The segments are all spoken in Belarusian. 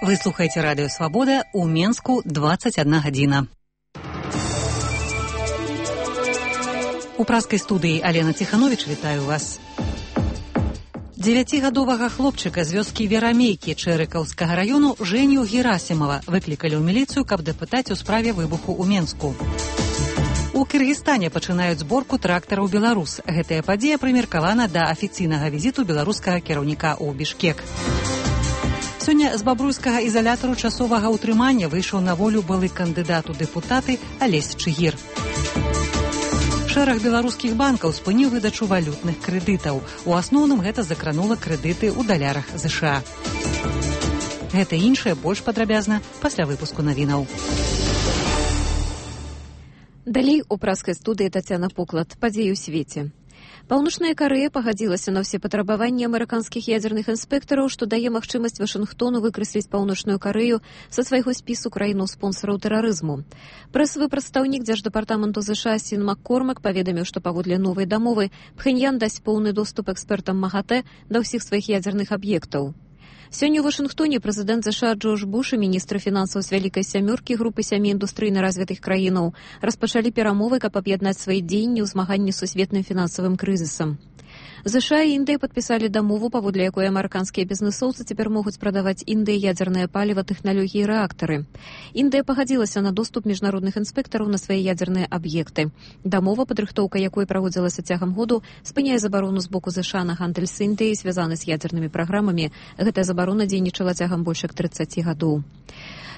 Вы слухаете радио «Свобода», у Менску 21 гадзіна. У праскай студыі Алена Ціхановіч вітаю вас. 9гадовага хлопчыка з вёскі Верамейкі Чэрыкаўскага раёну Жэню Герасімова выклікалі ў міліцыю, каб дапытаць у справе выбуху ў Менску. У Кыргызстане пачынаюць зборку трактараў «Беларус». Гэтая падзея прымеркавана да афіцыйнага візіту беларускага кіраўніка ў Бішкек. Сёння з бабруйскага ізалятару часовага ўтрымання выйшаў на волю былы кандыдат у дэпутаты Алесь Чыгір. Шэраг беларускіх банкаў спыніў выдачу валютных крэдытаў. У асноўным гэта закранула крэдыты ў далярах ЗША. Гэта і іншае больш падрабязна пасля выпуску навінаў. Далей у праскай студыі Тацяна Поклад. Падзеі ў свеце. Паўночная Карэя пагадзілася на ўсе патрабаванні амерыканскіх ядзерных інспектараў, што дае магчымасць Вашынгтону выкрэсліць Паўночную Карэю са свайго спісу краінаў-спонсараў тэрарызму. Прэсавы прадстаўнік дзярждэпартаменту ЗША Сін Маккормак паведаміў, што паводле новай дамовы Пхеньян дасць поўны доступ экспертам МАГАТЭ да ўсіх сваіх ядзерных аб'ектаў. Сёння ў Вашынгтоне прэзідэнт ЗША Джордж Буш і міністр фінансаў з Вялікай сямёркі групы 7 індустрыйна развітых краінаў распачалі перамовы, каб аб'яднаць свае дзеянні ў змаганні з сусветным фінансавым крызісам. ЗША і Індыя падпісалі дамову, паводле якой амерыканскія бізнэсоўцы цяпер могуць прадаваць Індыі ядзернае паліва, тэхналогіі і рэактары. Індыя пагадзілася на доступ міжнародных інспектараў на свае ядзерныя аб'екты. Дамова, падрыхтоўка якой праводзілася цягам году, спыняе забарону з боку ЗША на гандаль з Індыяй, звязаны з ядзернымі праграмамі. Гэтая забарона дзейнічала цягам больш як 30 гадоў.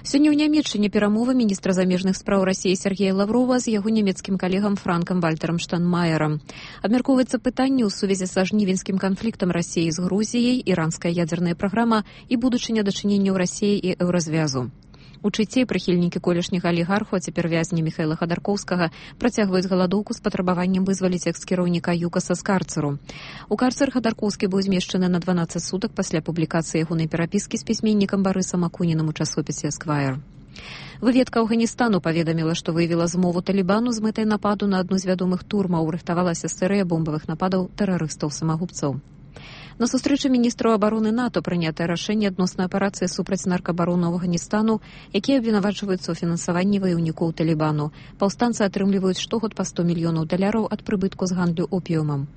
Сёння ў Нямецчыне перамовы міністра замежных спраў Расіі Сергея Лаврова з яго нямецкім калегам Франкам Вальтарам Штайнмаерам. Абмяркоўваецца пытанне ў сувязі са жнівеньскім канфліктам Расіі з Грузіяй, іранская ядзерная праграма і будучыня дачыненняў Расіі і Еўразвязу. У Чыце прыхільнікі колішняга алігарху, а цяпер вязні Міхайла Хадаркоўскага, працягваюць галадоўку з патрабаваннем вызваліць экс-кіраўніка ЮКАСа з карцеру. У карцер Хадаркоўскі быў змешчаны на 12 сутак пасля публікацыі ягонай перапіскі з пісьменнікам Барысам Акунінам у часопісе «Эсквайр». Выведка Афганістану паведаміла, што выявіла змову Талібану з мэтай нападу на адну з вядомых турмаў, рыхтавалася серыя бомбавых нападаў тэрарыстаў-самагубцаў. На сустрэчы міністраў абароны НАТО прынятае рашэнне адносна аперацыі супраць наркабарону Афганістану, якія абвінавачваюцца ў фінансаванні ваяўнікоў Талібану. Паўстанцы атрымліваюць штогод па $100 мільёнаў ад прыбытку з гандлю опіумам.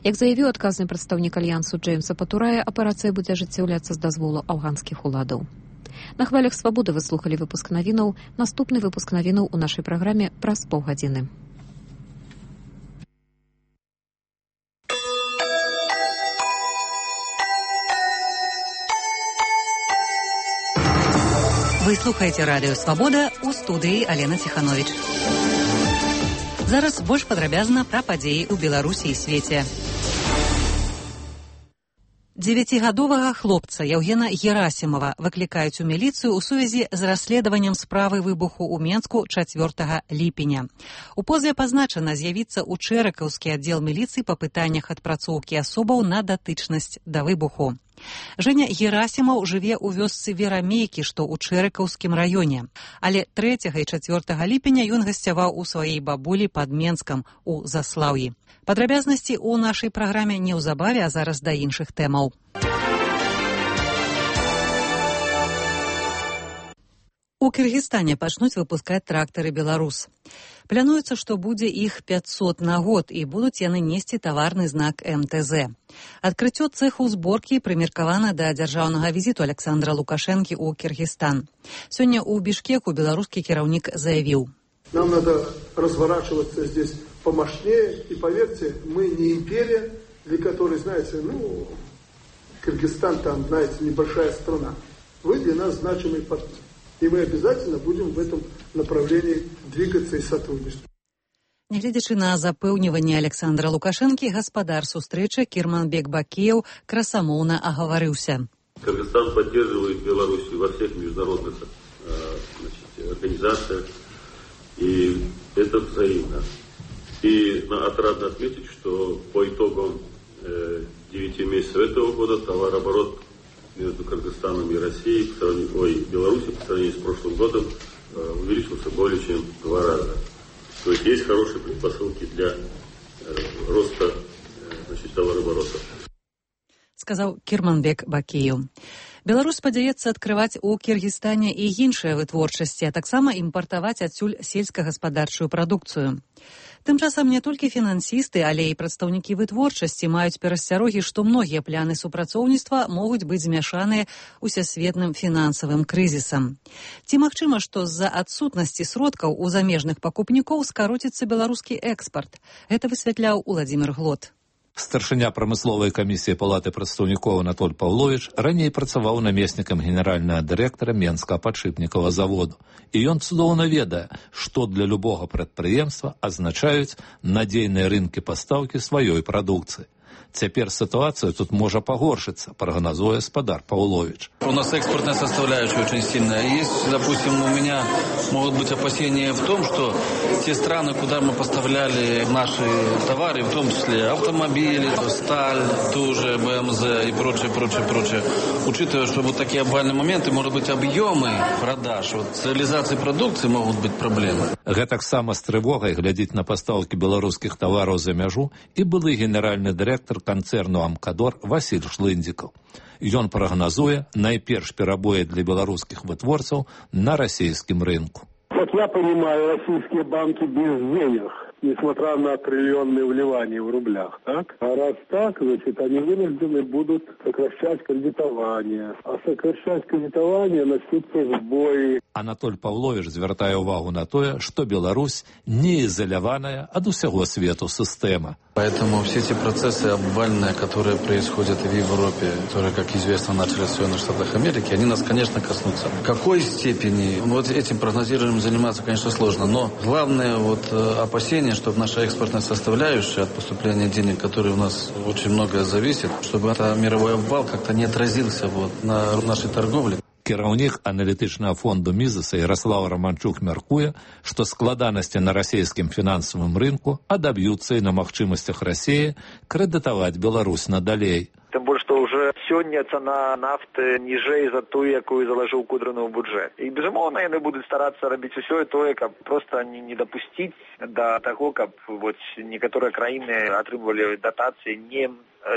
Як заявіў адказны прадстаўнік альянсу Джеймса Патурая, аперацыя будзе ажыццяўляцца з дазволу афганскіх уладаў. На хвалях свабоды вы слухалі выпуск навінаў. Наступны выпуск навінаў у нашай праграме праз паўгадзіны. Вы слухаеце радыё «Свабода», у студыі Алена Ціхановіч. Зараз больш падрабязна пра падзеі ў Беларусі і свеце. 9гадовага хлопца Яўгена Герасімова выклікаюць у міліцыю ў сувязі з расследаваннем справы выбуху ў Менску 4 ліпеня. У позве пазначана з'явіцца ў Чэрыкаўскі аддзел міліцыі па пытаннях адпрацоўкі асобаў на датычнасць да выбуху. Жэня Герасімаў жыве ў вёсцы Верамейкі, што ў Чэрыкаўскім раёне. Але 3 і 4 ліпеня ён гасцяваў у сваёй бабулі пад Менскам у Заслаўі. Падрабязнасці ў нашай праграме неўзабаве, а зараз да іншых тэмаў. У Кыргызстане пачнуць выпускаць трактары «Беларус». Плануецца, што будзе іх 500 на год, і будуць яны несці таварны знак МТЗ. Адкрыццё цэху зборкі прымеркавана да дзяржаўнага візіту Александра Лукашэнкі ў Кыргызстан. Сёння ў Бішкеку беларускі кіраўнік заявіў: «Нам надо разворачиваться здесь помощнее, и поверьте, мы не империя, для которой, знаете, Кыргызстан там, знаете, небольшая страна. Вы для нас значимый партнер. И мы обязательно будем в этом направлении двигаться и сотрудничать». Нягледзячы на запэўніванне Александра Лукашэнкі, гаспадар сустрэчы Кірманбек Бакеев красамоўна агаварыўся. Кыргызстан поддерживает Беларусь во всех международных организациях, и это взаимно. И отрадно отметить, что по итогам 9 месяцев этого года товарооборот между Кыргызстаном и Россией, Беларусью по сравнению с прошлым годом увеличился более чем в 2 раза. То есть хорошие предпосылки для роста товарооборота. Сказал Кірманбек Бакеев. Беларусь спадзяецца адкрываць у Кіргізстане і іншыя вытворчасці, а таксама імпартаваць адсюль сельскагаспадарчую прадукцыю. Тым часам не толькі фінансісты, але і прадстаўнікі вытворчасці маюць перасцярогі, што многія пляны супрацоўніцтва могуць быць змяшаныя усесветным фінансавым крызісам. Ці магчыма, што з-за адсутнасці сродкаў у замежных пакупнікоў скароціцца беларускі экспарт? Гэта высвятляў Уладзімір Глот. Старшыня прамысловай камісіі Палаты прадстаўнікоў Анатоль Паўловіч раней працаваў намеснікам генеральнага дырэктара Менскага падшыпнікавага заводу. І ён цудоўна ведае, што для любога прадпрыемства азначаюць надзейныя рынкі пастаўкі сваёй прадукцыі. Цяпер ситуация тут может погоршиться, прогнозуя Спадар Павлович. У нас экспортная составляющая очень сильная. Есть, допустим, у меня могут быть опасения в том, что те страны, куда мы поставляли наши товары, в том числе автомобили, сталь, ту же БМЗ и прочее, учитывая, что вот такие обвальные моменты, может быть, объемы продаж, вот, с реализацией продукции могут быть проблемы. Гэтак сама з трывогай глядзіць на пастаўкі беларускіх тавараў за мяжу і былы генеральны дырэктар канцэрну «Амкадор» Васіль Шлындзікаў. Ён прагназуе найперш перабоі для беларускіх вытворцаў на расійскім рынку. Как я понимаю, российские банки без денег, несмотря на триллионные вливания в рублях, так? А раз так, значит, они вынуждены будут сокращать кредитование. А сокращать кредитование начнутся сбои. Анатоль Павлович звяртае увагу на тое, што Беларусь не изоляваная ад усяго свету сістэма. Поэтому все эти процессы обвальные, которые происходят и в Европе, которые, как известно, начались в Соединенных Штатах Америки, они нас, конечно, коснутся. В какой степени? Вот этим прогнозированием заниматься, конечно, сложно. Но главное вот опасение, чтобы наша экспортная составляющая от поступления денег, которые у нас очень многое зависит, чтобы этот мировой обвал как-то не отразился вот на нашей торговле. Кіраўнік аналітычнага фонду Мізеса Ярослав Романчук мяркуе, што складанасці на расійскім фінансавым рынку адаб'юцца і на магчымасцях Расіі крэдытаваць Беларусь надалей. Тым больш, што ўжо сёння цана нафты ніжэй за тую, якую залажыў Кудрыны ў бюджэт. І, безумоўна, яны будуць старацца рабіць усё тое, каб проста не дапусціць да таго, каб вот некаторыя краіны атрымлівалі датацыі, не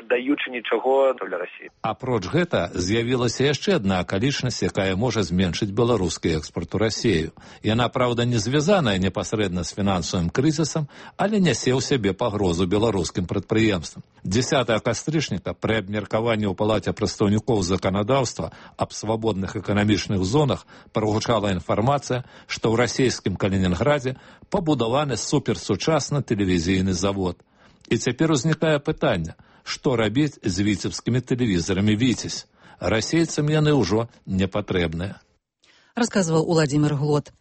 даючы нічого для Расіі. Апроч гэта з'явілася яшчэ адна акалічнасць, якая можа зменшыць беларускі экспарт у Расію. Яна, праўда, не звязаная непасрэдна з фінансавым крызісам, але нясе ў сябе пагрозу беларускім прадпрыемствам. 10 кастрычніка пры абмеркаванні ў Палаце прадстаўнікоў заканадаўства аб свабодных эканамічных зонах прагучала інфармацыя, што ў расійскім Калінінградзе пабудаваны суперсучасны тэлевізійны завод. І цяпер узнікае пытанне, што рабіць з віцебскімі тэлевізорамі «Віцязь». Расейцам яны ўжо не патрэбныя. Расказваў Уладзімір Глот.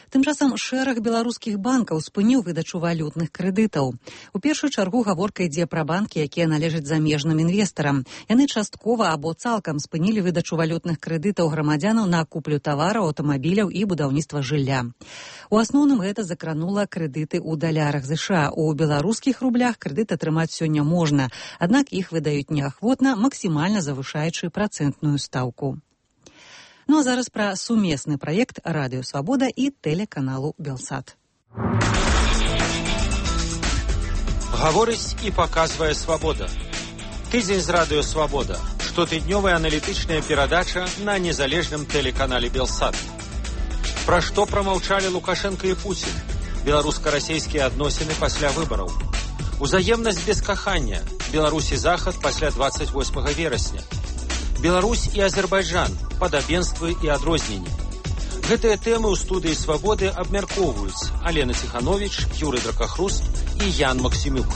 Тым часам шэраг беларускіх банкаў спыніў выдачу валютных крэдытаў. У першую чаргу гаворка ідзе пра банкі, якія належаць замежным інвестарам. Яны часткова або цалкам спынілі выдачу валютных крэдытаў грамадзянаў на куплю тавараў, аўтамабіляў і будаўніцтва жылля. У асноўным гэта закранула крэдыты ў далярах США. У беларускіх рублях крэдыт атрымаць сёння можна, аднак іх выдаюць неахвотна, максімальна завышаючы працэнтную стаўку. Ну а зараз пра сумесны праект Радыё Свабода і тэлеканалу Белсат. Гаворыць і паказвае Свабода. Тыдзень з Радыё Свабода. Штотыднёвая аналітычная перадача на незалежным тэлеканале Белсат. Пра што прамаўчалі Лукашенко і Пуцін? Беларуска-расійскія адносіны пасля выбараў. Узаемнасць без кахання. Беларусь і Захад пасля 28 верасня. Беларусь і Азербайджан, падабенствы і адрозненні. Гэтыя тэмы ў студыі «Свабоды» абмяркоўваюць Алена Ціхановіч, Юрый Дракахрус і Ян Максімюк.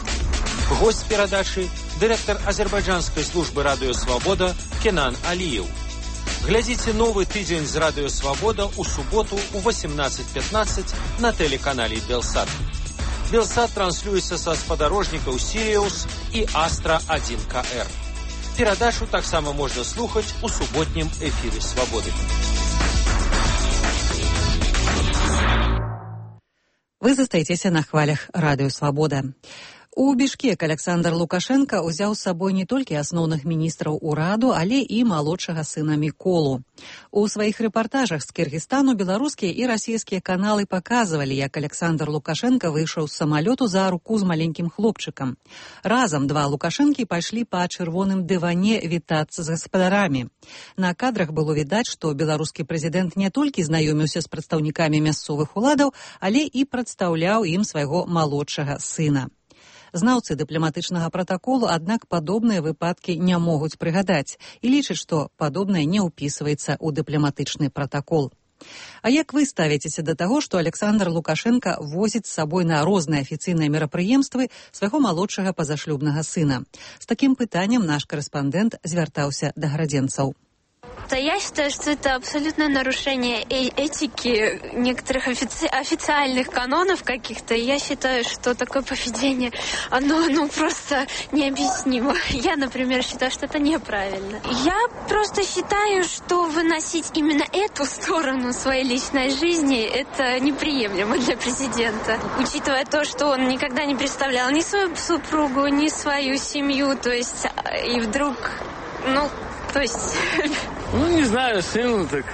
Госць перадачы – дырэктар азербайджанскай службы «Радыё Свабода» Кенан Аліеў. Глядзіце новы тыдзень з «Радыё Свабода» у суботу ў 18:15 на тэлеканале Белсат. Белсат транслюецца са спадарожнікаў «Сіриус» і «Астра 1КР». Перадачу таксама можна слухаць у суботнім эфіры «Свабоды». Вы застаецеся на хвалях Радыё Свабода. У Бішкек Александр Лукашенко ўзяў з сабой не толькі асноўных міністраў ураду, але і малодшага сына Міколу. У сваіх рэпартажах з Кыргызстану беларускія і расійскія каналы паказвалі, як Александр Лукашенко выйшаў з самалёту за руку з маленькім хлопчыкам. Разам два Лукашэнкі пайшлі па чырвоным дыване вітацца з гаспадарамі. На кадрах было відаць, што беларускі прэзідэнт не толькі знаёміўся з прадстаўнікамі мясцовых уладаў, але і прадстаўляў ім свайго малодшага сына. Знаўцы дыпламатычнага пратаколу, аднак, падобныя выпадкі не могуць прыгадаць і лічаць, што падобнае не ўпісваецца ў дыпламатычны пратакол. А як вы ставіцеся да таго, што Александр Лукашенко возіць з сабой на розныя афіцыйныя мерапрыемствы свайго малодшага пазашлюбнага сына? З такім пытаннем наш карэспандэнт звяртаўся да градзенцаў. Да, я считаю, что это абсолютное нарушение этики некоторых официальных канонов каких-то. Я считаю, что такое поведение, оно просто необъяснимо. Я, например, считаю, что это неправильно. Я просто считаю, что выносить именно эту сторону своей личной жизни, это неприемлемо для президента. Учитывая то, что он никогда не представлял ни свою супругу, ни свою семью, то есть, и вдруг, не знаю, сын, так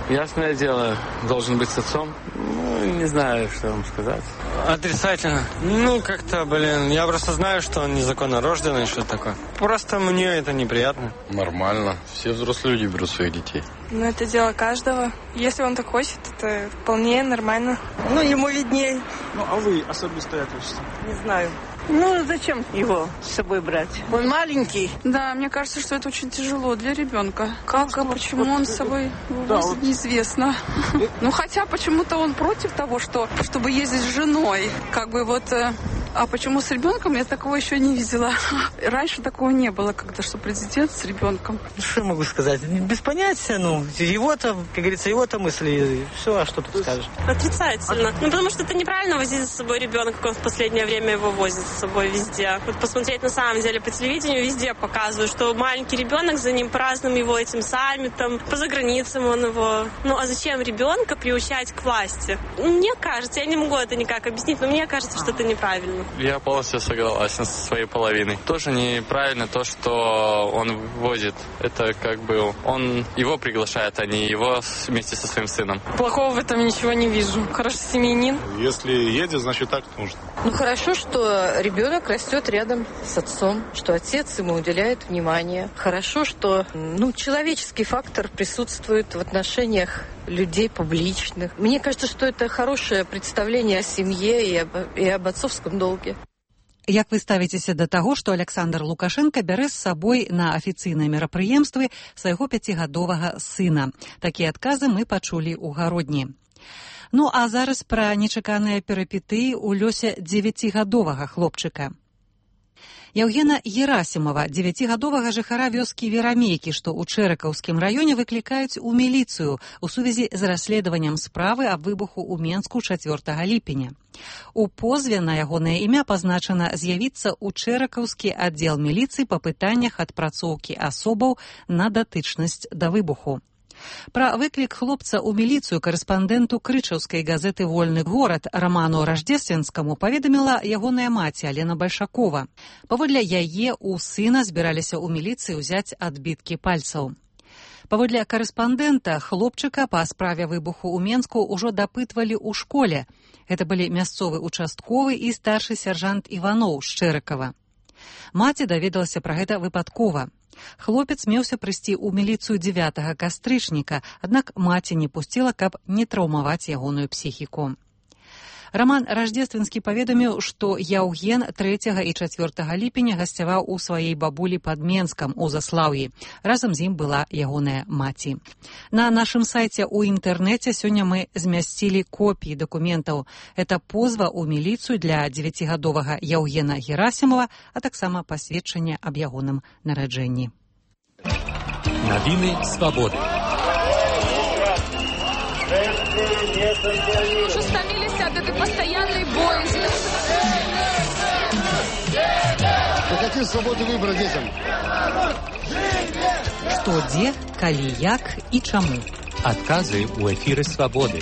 ясное дело, должен быть с отцом. Не знаю, что вам сказать. Отрицательно. Я просто знаю, что он незаконно рожденный, что такое. Просто мне это неприятно. Нормально. Все взрослые люди берут своих детей. Это дело каждого. Если он так хочет, это вполне нормально. Ему видней. А вы особисто это что? Не знаю. Зачем его с собой брать? Он маленький. Да, мне кажется, что это очень тяжело для ребенка. Почему он с собой возит, неизвестно. Хотя почему-то он против того, чтобы ездить с женой. А почему с ребенком, я такого еще не видела. Раньше такого не было, что президент с ребенком. Что могу сказать? Без понятия, его-то, как говорится, его-то мысли, все, а что тут скажешь? Отрицательно. Потому что это неправильно возить за собой ребенка, как он в последнее время его возит с собой везде. Посмотреть на самом деле по телевидению, везде показывают, что маленький ребенок, за ним празднуем его этим саммитом, по заграницам он его. А зачем ребенка приучать к власти? Мне кажется, я не могу это никак объяснить, но мне кажется, что это неправильно. Я полностью согласен со своей половиной. Тоже неправильно то, что он возит. Это он его приглашает, а не его вместе со своим сыном. Плохого в этом ничего не вижу. Хороший семьянин. Если едет, значит так нужно. Хорошо, что ребенок растет рядом с отцом, что отец ему уделяет внимание. Хорошо, что человеческий фактор присутствует в отношениях людей публичных. Мне кажется, что это хорошее представление о семье и об отцовском долге. Як вы ставіцеся да таго, што Александр Лукашенко бярэ з сабой на афіцыйныя мерапрыемствы свайго 5гадовага сына? Такія адказы мы пачулі ў гародні. А зараз пра нечаканыя перыпетыі ў лёсе 9гадовага хлопчыка. Яўгена Герасімова, 9гадовага жыхара вёскі Верамейкі, што ў Чэракаўскім раёне выклікаюць у міліцыю у сувязі з расследаваннем справы аб выбуху ў Менску 4 ліпеня. У позве на ягонае імя пазначана з'явіцца ў Чэракаўскі аддзел міліцыі па пытаннях адпрацоўкі асобаў на датычнасць да выбуху. Пра выклік хлопца ў міліцыю карэспандэнту крычаўскай газеты «Вольны горад» Раману Раждественскаму паведаміла ягоная маці Алена Бальшакова. Паводле яе у сына збіраліся ў міліцыі ўзяць адбіткі пальцаў. Паводле карэспандэнта, хлопчыка па справе выбуху ў Менску ўжо дапытвалі ў школе. Гэта былі мясцовы участковы і старшы сяржант Іваноў з Чэракава. Маці даведалася пра гэта выпадкова. Хлопец меўся прыйсці ў міліцыю 9 кастрычніка, аднак маці не пусціла, каб не траўмаваць ягоную псіхіку. Раман Раждественскі паведаміў, што Яўген 3 і 4 ліпеня гасцяваў у сваей бабулі пад Менскам у Заслаўі. Разам з ім была ягоная маці. На нашым сайце ў інтэрнэце сёння мы змясцілі копіі дакументаў. Это позва ў міліцыю для 9гадовага Яўгена Герасімова, а таксама пасведчанне аб ягоным нараджэнні. Навіны свабоды. Уже стомились от этой постоянной боязни. Какие свободы выбора детям? Што, дзе, калі, як і чаму? Адказы ў эфіры свабоды.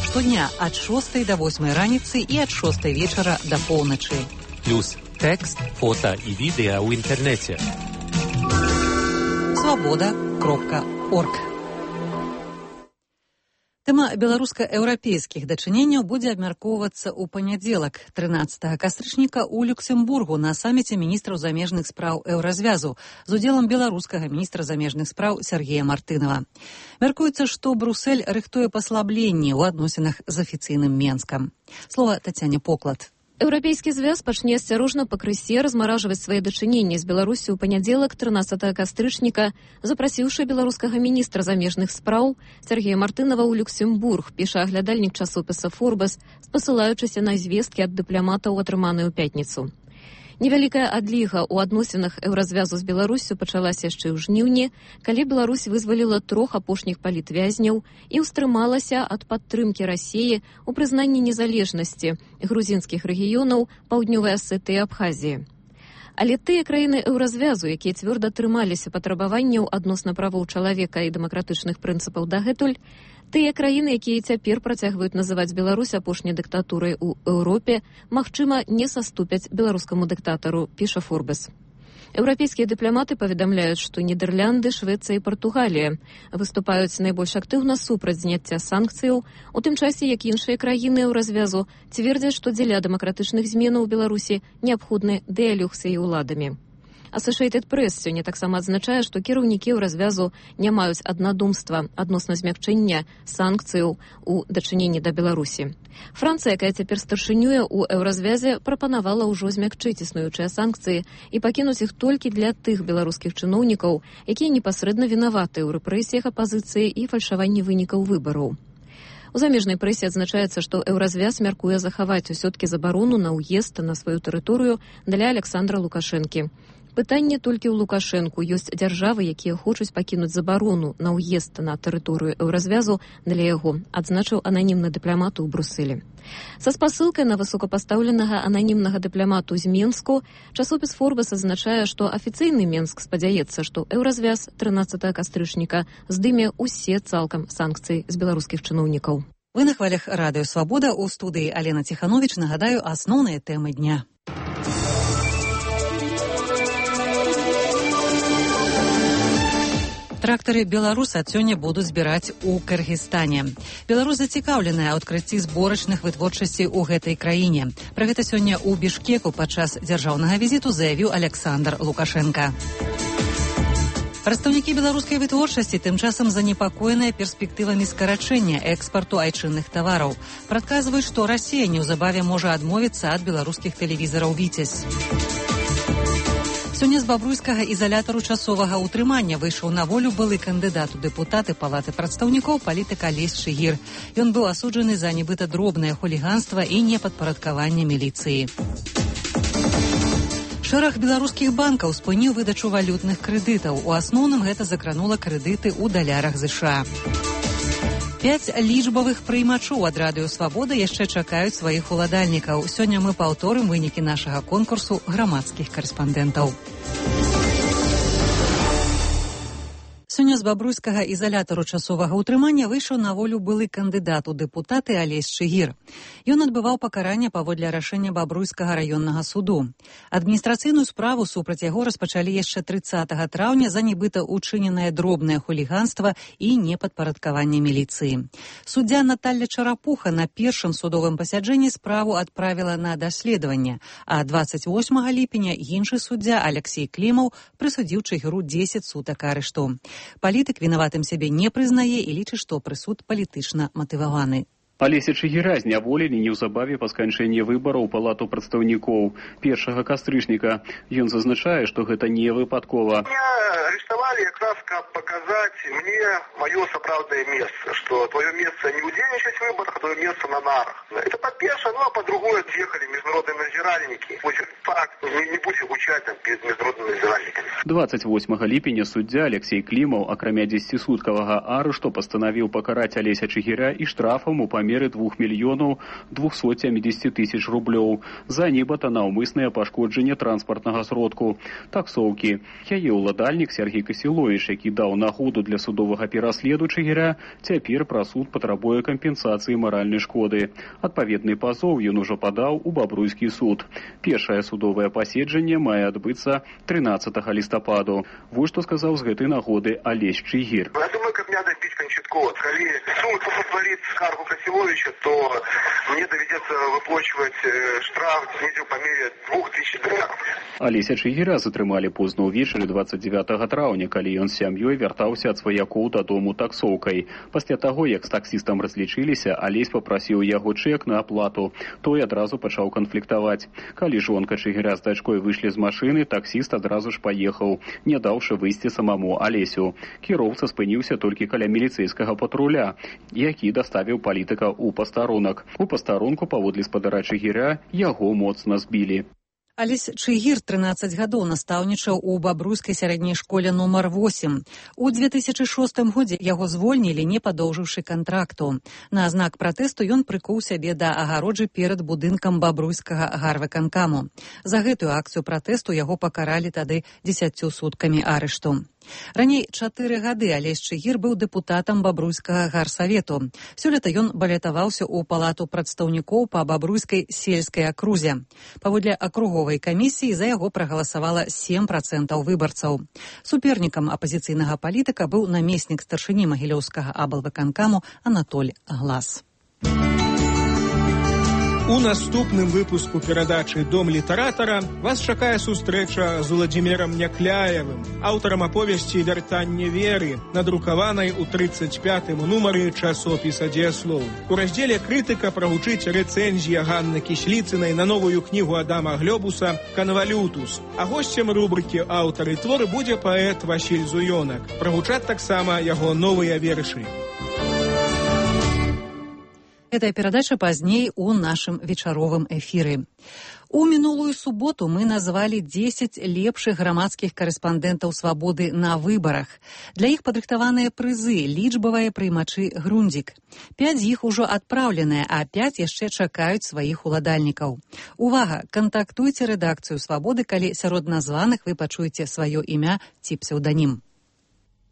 Штодня ад 6 до 8 раніцы і ад 6 вечара да поўначы. Плюс Текст, фото и видео в интернете. Свобода.орг. Тэма беларуска-еўрапейскіх дачыненняў будзе абмяркоўвацца ў панядзелак, 13 кастрычніка ў Люксембургу на саміце міністраў замежных спраў еўразвязу з удзелам беларускага міністра замежных спраў Сергея Мартынова. Мяркуецца, што Брусэль рыхтуе паслабленні ў адносінах з афіцыйным Менскам. Слова Тацяне Поклад. Еўрапейскі звяз пачне асцярожна пакрысе размаражваць свае дачыненні з Беларусі ў панядзелак 13 кастрычніка, запрасіўшы беларускага міністра замежных спраў Сергея Мартынова ў Люксембург, піша аглядальнік часопіса «Форбас», спасылаючыся на звесткі ад дыпламатаў, атрыманыя ў пятніцу. Невялікая адліга ў адносінах еўразвязу з Беларусю пачалася яшчэ ў жніўні, калі Беларусь вызваліла 3 апошніх палітвязняў і ўстрымалася ад падтрымкі Расіі ў прызнанні незалежнасці грузінскіх рэгіёнаў Паўднёвай Асетыі і Абхазіі. Але тыя краіны еўразвязу, якія цвёрда трымаліся патрабаванняў адносна правоў чалавека і дэмакратычных прынцыпаў дагэтуль, тыя краіны, якія цяпер працягваюць называць Беларусь апошняй дыктатурай у Еўропе, магчыма, не саступяць беларускаму дыктатару, піша «Форбас». Еўрапейскія дыпламаты паведамляюць, што Нідерланды, Швецыя і Партугалія выступаюць найбольш актыўна супраць зняцця санкцыяў, у тым часе, як іншыя краіны еўразвязу цвердзяць, што дзеля дэмакратычных зменаў у Беларусі неабходны дыялог з яе ўладамі. Associated Press сёння таксама адзначае, што кіраўнікі еўразвязу не маюць аднадумства адносна змякчэння санкцыяў у дачыненні да Беларусі. Францыя, якая цяпер старшынюе ў еўразвязе, прапанавала ўжо змякчыць існуючыя санкцыі і пакінуць іх толькі для тых беларускіх чыноўнікаў, якія непасрэдна вінаваты ў рэпрэсіях апазіцыі і фальшаванні вынікаў выбараў. У замежнай прэсе адзначаецца, што еўразвяз мяркуе захаваць усё-ткі забарону на ўезд на сваю тэрыторыю для Александра Лукашэнкі. Пытанне толькі ў Лукашэнку. Ёсць дзяржавы, якія хочуць пакінуць забарону на ўезд на тэрыторыю еўразвязу для яго, адзначыў ананімны дыпламат у Брусэлі. Са спасылкай на высокапастаўленага ананімнага дыпламату з Менску часопіс «Форбас» адзначае, што афіцыйны Менск спадзяецца, што еўразвяз 13 кастрычніка здыме ўсе цалкам санкцыі з беларускіх чыноўнікаў. Вы на хвалях радыё «Свабода», у студыі Алена Ціхановіч. Нагадаю асноўныя тэмы дня. Трактары «Беларусь» ад сёння будуць збіраць у Кыргызстане. Беларусь зацікаўленая ў адкрыцці зборачных вытворчасцей у гэтай краіне. Пра гэта сёння ў Бішкеку падчас дзяржаўнага візіту заявіў Александр Лукашенка. Прадстаўнікі беларускай вытворчасці тым часам занепакоеныя перспектывамі скарачэння экспарту айчынных тавараў. Прадказваюць, што Расія неўзабаве можа адмовіцца ад беларускіх тэлевізараў «Віцязь». Сёння з бабруйскага ізалятару часовага ўтрымання выйшаў на волю былы кандыдат у дэпутаты Палаты прадстаўнікоў палітык Алесь Чыгір. Ён быў асуджаны за нібыта дробнае хуліганства і непадпарадкаванне міліцыі. Шэраг беларускіх банкаў спыніў выдачу валютных крэдытаў. У асноўным гэта закранула крэдыты ў далярах США. 5 лічбавых прыймачоў ад радыё «Свабода» яшчэ чакаюць сваіх уладальнікаў. Сёння мы паўторым вынікі нашага конкурсу грамадскіх карэспандэнтаў. Сёння з бабруйскага ізалятару часовага ўтрымання выйшаў на волю былы кандыдат у дэпутаты Алесь Чыгір. Ён адбываў пакаранне паводле рашэння бабруйскага раённага суду. Адміністрацыйную справу супраць яго распачалі яшчэ 30 траўня за нібыта учыненае дробнае хуліганства і непадпарадкаванне міліцыі. Суддзя Наталля Чарапуха на першым судовым пасяджэнні справу адправіла на даследаванне, а 28 ліпеня іншы суддзя Алексей Клімаў прысудзіў Чыгіру 10 сутак арышту. Палітык вінаватым сябе не прызнае і лічыць, што прысуд палітычна матываваны. Алеся Чыгіра зняволілі неўзабаве па сканчэнні выбараў у Палату прадстаўнікоў 1 кастрычніка. Ён зазначае, што гэта не выпадкова. Меня арестовали как раз, как показать мне мое сапраўднае место, что твое место не удзельнічаць в выборах, а твое место на нарах. Это по-перше, ну а по-другое, приехали международные надзиральники. Факт, не будем учать там перед международными надзиральниками. 28 ліпеня суддзя Алексей Клімаў, акрамя 10-суткавага арышту, пастанавіў пакараць Алеся Чыгіря і штрафам у памеры 2 мільёнаў 270 тысяч рублёў за нібыта наўмыснае пашкоджанне транспартнага сродку таксоўкі. Яе ўладальнік Сергей Касіловіч, які даў нагоду для судовага пераследу Чыгіря, цяпер пра суд патрабуе кампенсацыі маральнай шкоды. Адпаведны пазоў ён ужо падаў у Бабруйскі суд. Першае судовае паседжанне мае адбыцца 13 лістападу. Вот што сказаў з гэтай нагоды Алесь Чыгір. Я думаю, каб мне добіць канчаткова. Калі суд паславіць скаргу Касіловіча, то мне давядзецца выплачваць штраф недзе ў памере 2000 долараў. Алеся Чыгіра затрымалі позна ўвечары 29 траўня, калі ён з сям'ёй вяртаўся ад сваякоў дадому таксоўкай. Пасля таго, як з таксістам разлічыліся, Алесь папрасіў яго чэк на аплату. Той адразу пачаў канфліктаваць. Калі жонка Чыгіря з дачкой выйшлі з машыны, таксіст адразу ж паехаў, не даўшы выйсці самому Алесю. Кіроўца спыніўся толькі каля міліцэйскага патруля, які даставіў палітыка ў пастарунак. У пастарунку паводле спадара Чыгіря яго моцна збілі. Алесь Чыгір 13 гадоў настаўнічаў у Бабруйскай сярэдняй школе нумар 8. У 2006 годзе яго звольнілі, не падоўжыўшы кантракту. На знак пратэсту ён прыкуў сябе да агароджы перад будынкам Бабруйскага гарвыканкаму. За гэтую акцыю пратэсту яго пакаралі тады 10 суткамі арышту. Раней 4 гады Алесь Чыгір быў дэпутатам Бабруйскага гарсавету. Сёлета ён балятаваўся ў палату прадстаўнікоў па Бабруйскай сельскай акрузе. Паводле акруговай камісіі за яго прагаласавала 7% выбарцаў. Супернікам апазіцыйнага палітыка быў намеснік старшыні Магілёўскага аблвыканкаму Анатоль Глас. У наступным выпуску перадачы «Дом літаратара» вас чакае сустрэча з Уладзімірам Някляевым, аўтарам аповесці «Вяртанне веры», надрукаванай у 35-м нумары часопіса «Дзеяслоў». У раздзеле «Крытыка» прагучыць рэцэнзія Ганны Кісліцынай на новую кнігу Адама Глёбуса «Канвалютус». А госцем рубрыкі «Аўтары творы» будзе паэт Васіль Зуёнак. Прагучаць таксама яго новыя вершы. Гэтая перадача пазней у нашым вечаровым эфіры. У мінулую суботу мы назвалі 10 лепшых грамадскіх карэспандэнтаў «Свабоды» на выбарах. Для іх падрыхтаваныя прызы, лічбавыя прыймачы «Грундзік». 5 з іх ужо адпраўленыя, а 5 яшчэ чакаюць сваіх уладальнікаў. Увага! Кантактуйце рэдакцыю «Свабоды», калі сярод названых вы пачуеце сваё імя ці псеўданім.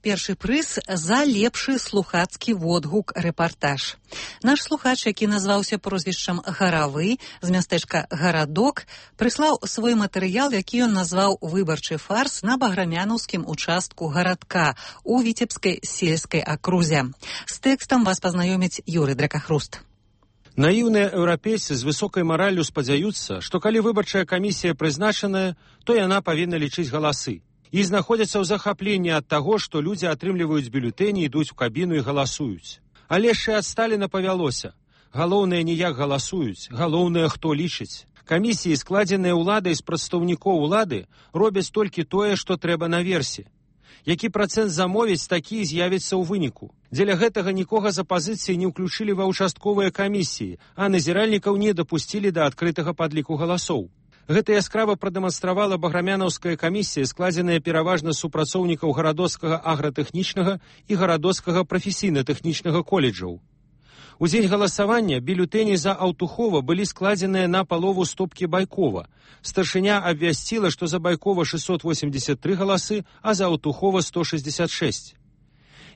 Першы прыз за лепшы слухацкі водгук-рэпартаж. Наш слухач, які назваўся прозвішчам Гаравы з мястэчка Гарадок, прыслаў свой матэрыял, які ён назваў «Выбарчы фарс» на баграмянаўскім участку гарадка у Віцебскай сельскай акрузе. З тэкстам вас пазнаёміць Юрый Дракахруст. Наіўныя еўрапейцы з высокай мараллю спадзяюцца, што калі выбарчая камісія прызначаная, то яна павінна лічыць галасы. І знаходзяцца ў захапленні ад таго, што людзі атрымліваюць бюлетэні, ідуць у кабіну і галасуюць. Але ж і ад Сталіна павялося. Галоўнае не як галасуюць, галоўнае хто лічыць. Камісіі, складзеныя ўладай з прадстаўнікоў улады, робяць толькі тое, што трэба наверсе. Які працэнт замовіць, такі з'явіцца ў выніку. Дзеля гэтага нікога з апазіцыі не ўключылі ва ўчастковыя камісіі, а назіральнікаў не дапусцілі да адкрытага падліку галасоў. Гэта яскрава прадэманстравала баграмянаўская камісія, складзеная пераважна з супрацоўнікаў гарадоцкага агратэхнічнага і гарадоцкага прафесійна-тэхнічнага коледжаў. У дзень галасавання бюлетэні за Аўтухова былі складзеныя на палову стопкі Байкова. Старшыня абвясціла, што за Байкова 683 галасы, а за Аўтухова 166.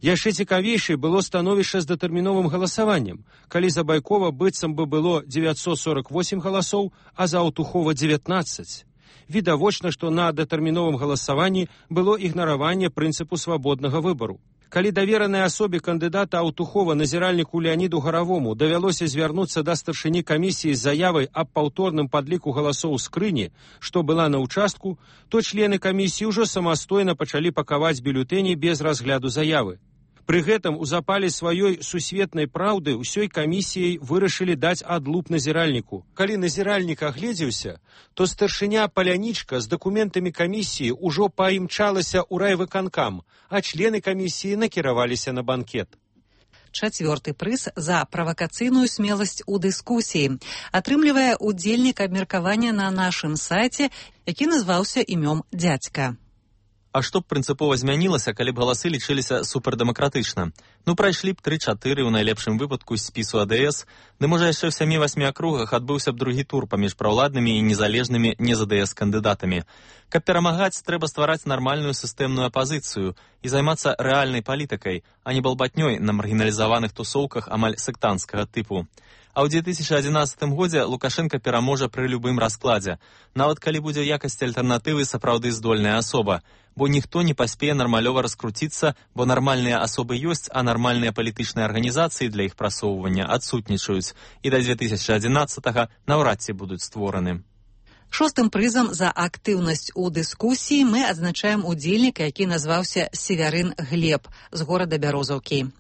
Яшчэ цікавейшай было становішча з датэрміновым галасаваннем, калі за Байкова быццам бы было 948 галасоў, а за Аўтухова 19. Відавочна, што на датэрміновым галасаванні было ігнараванне прынцыпу свабоднага выбару. Калі даверанай асобе кандыдата Аўтухова назіральніку Леаніду Гаравому давялося звярнуцца да старшыні камісіі з заявай аб паўторным падліку галасоў скрыні, што была на ўчастку, то члены камісіі ўжо самастойна пачалі пакаваць бюлетэні без разгляду заявы. Пры гэтым у запале сваёй сусветнай праўды ўсёй камісіяй вырашылі даць адлуп назіральніку. Калі назіральнік агледзеўся, то старшыня Палянічка з дакументамі камісіі ўжо паімчалася ў райвыканкам, а члены камісіі накіраваліся на банкет. Чацвёрты прыз за правакацыйную смеласць у дыскусіі атрымлівае удзельнік абмеркавання на нашым сайце, які назваўся імём дзядзька. А што б прынцыпова змянілася, калі б галасы лічыліся супердэмакратычна? Ну, прайшлі б 3-4 у найлепшым выпадку з спісу АДС, ды можа яшчэ ў 7-8 акругах адбыўся б другі тур паміж праўладнымі і незалежнымі не з АДС кандыдатамі. Каб перамагаць, трэба ствараць нармальную сістэмную апазіцыю і займацца рэальнай палітыкай, а не балбатнёй на маргіналізаваных тусоўках амаль сектанцкага тыпу. А ў 2011 годзе Лукашенко пераможа пры любым раскладзе, нават калі будзе якасці альтэрнатывы сапраўды здольная асоба, бо ніхто не паспее нармалёва раскруціцца, бо нармальныя асобы ёсць, а нармальныя палітычныя арганізацыі для іх прасоўвання адсутнічаюць, і да 2011-га наўрад ці будуць створаны. 6-м прызам за актыўнасць у дыскусіі мы адзначаем удзельніка, які назваўся Северын Глеб з горада Бярозаўкі.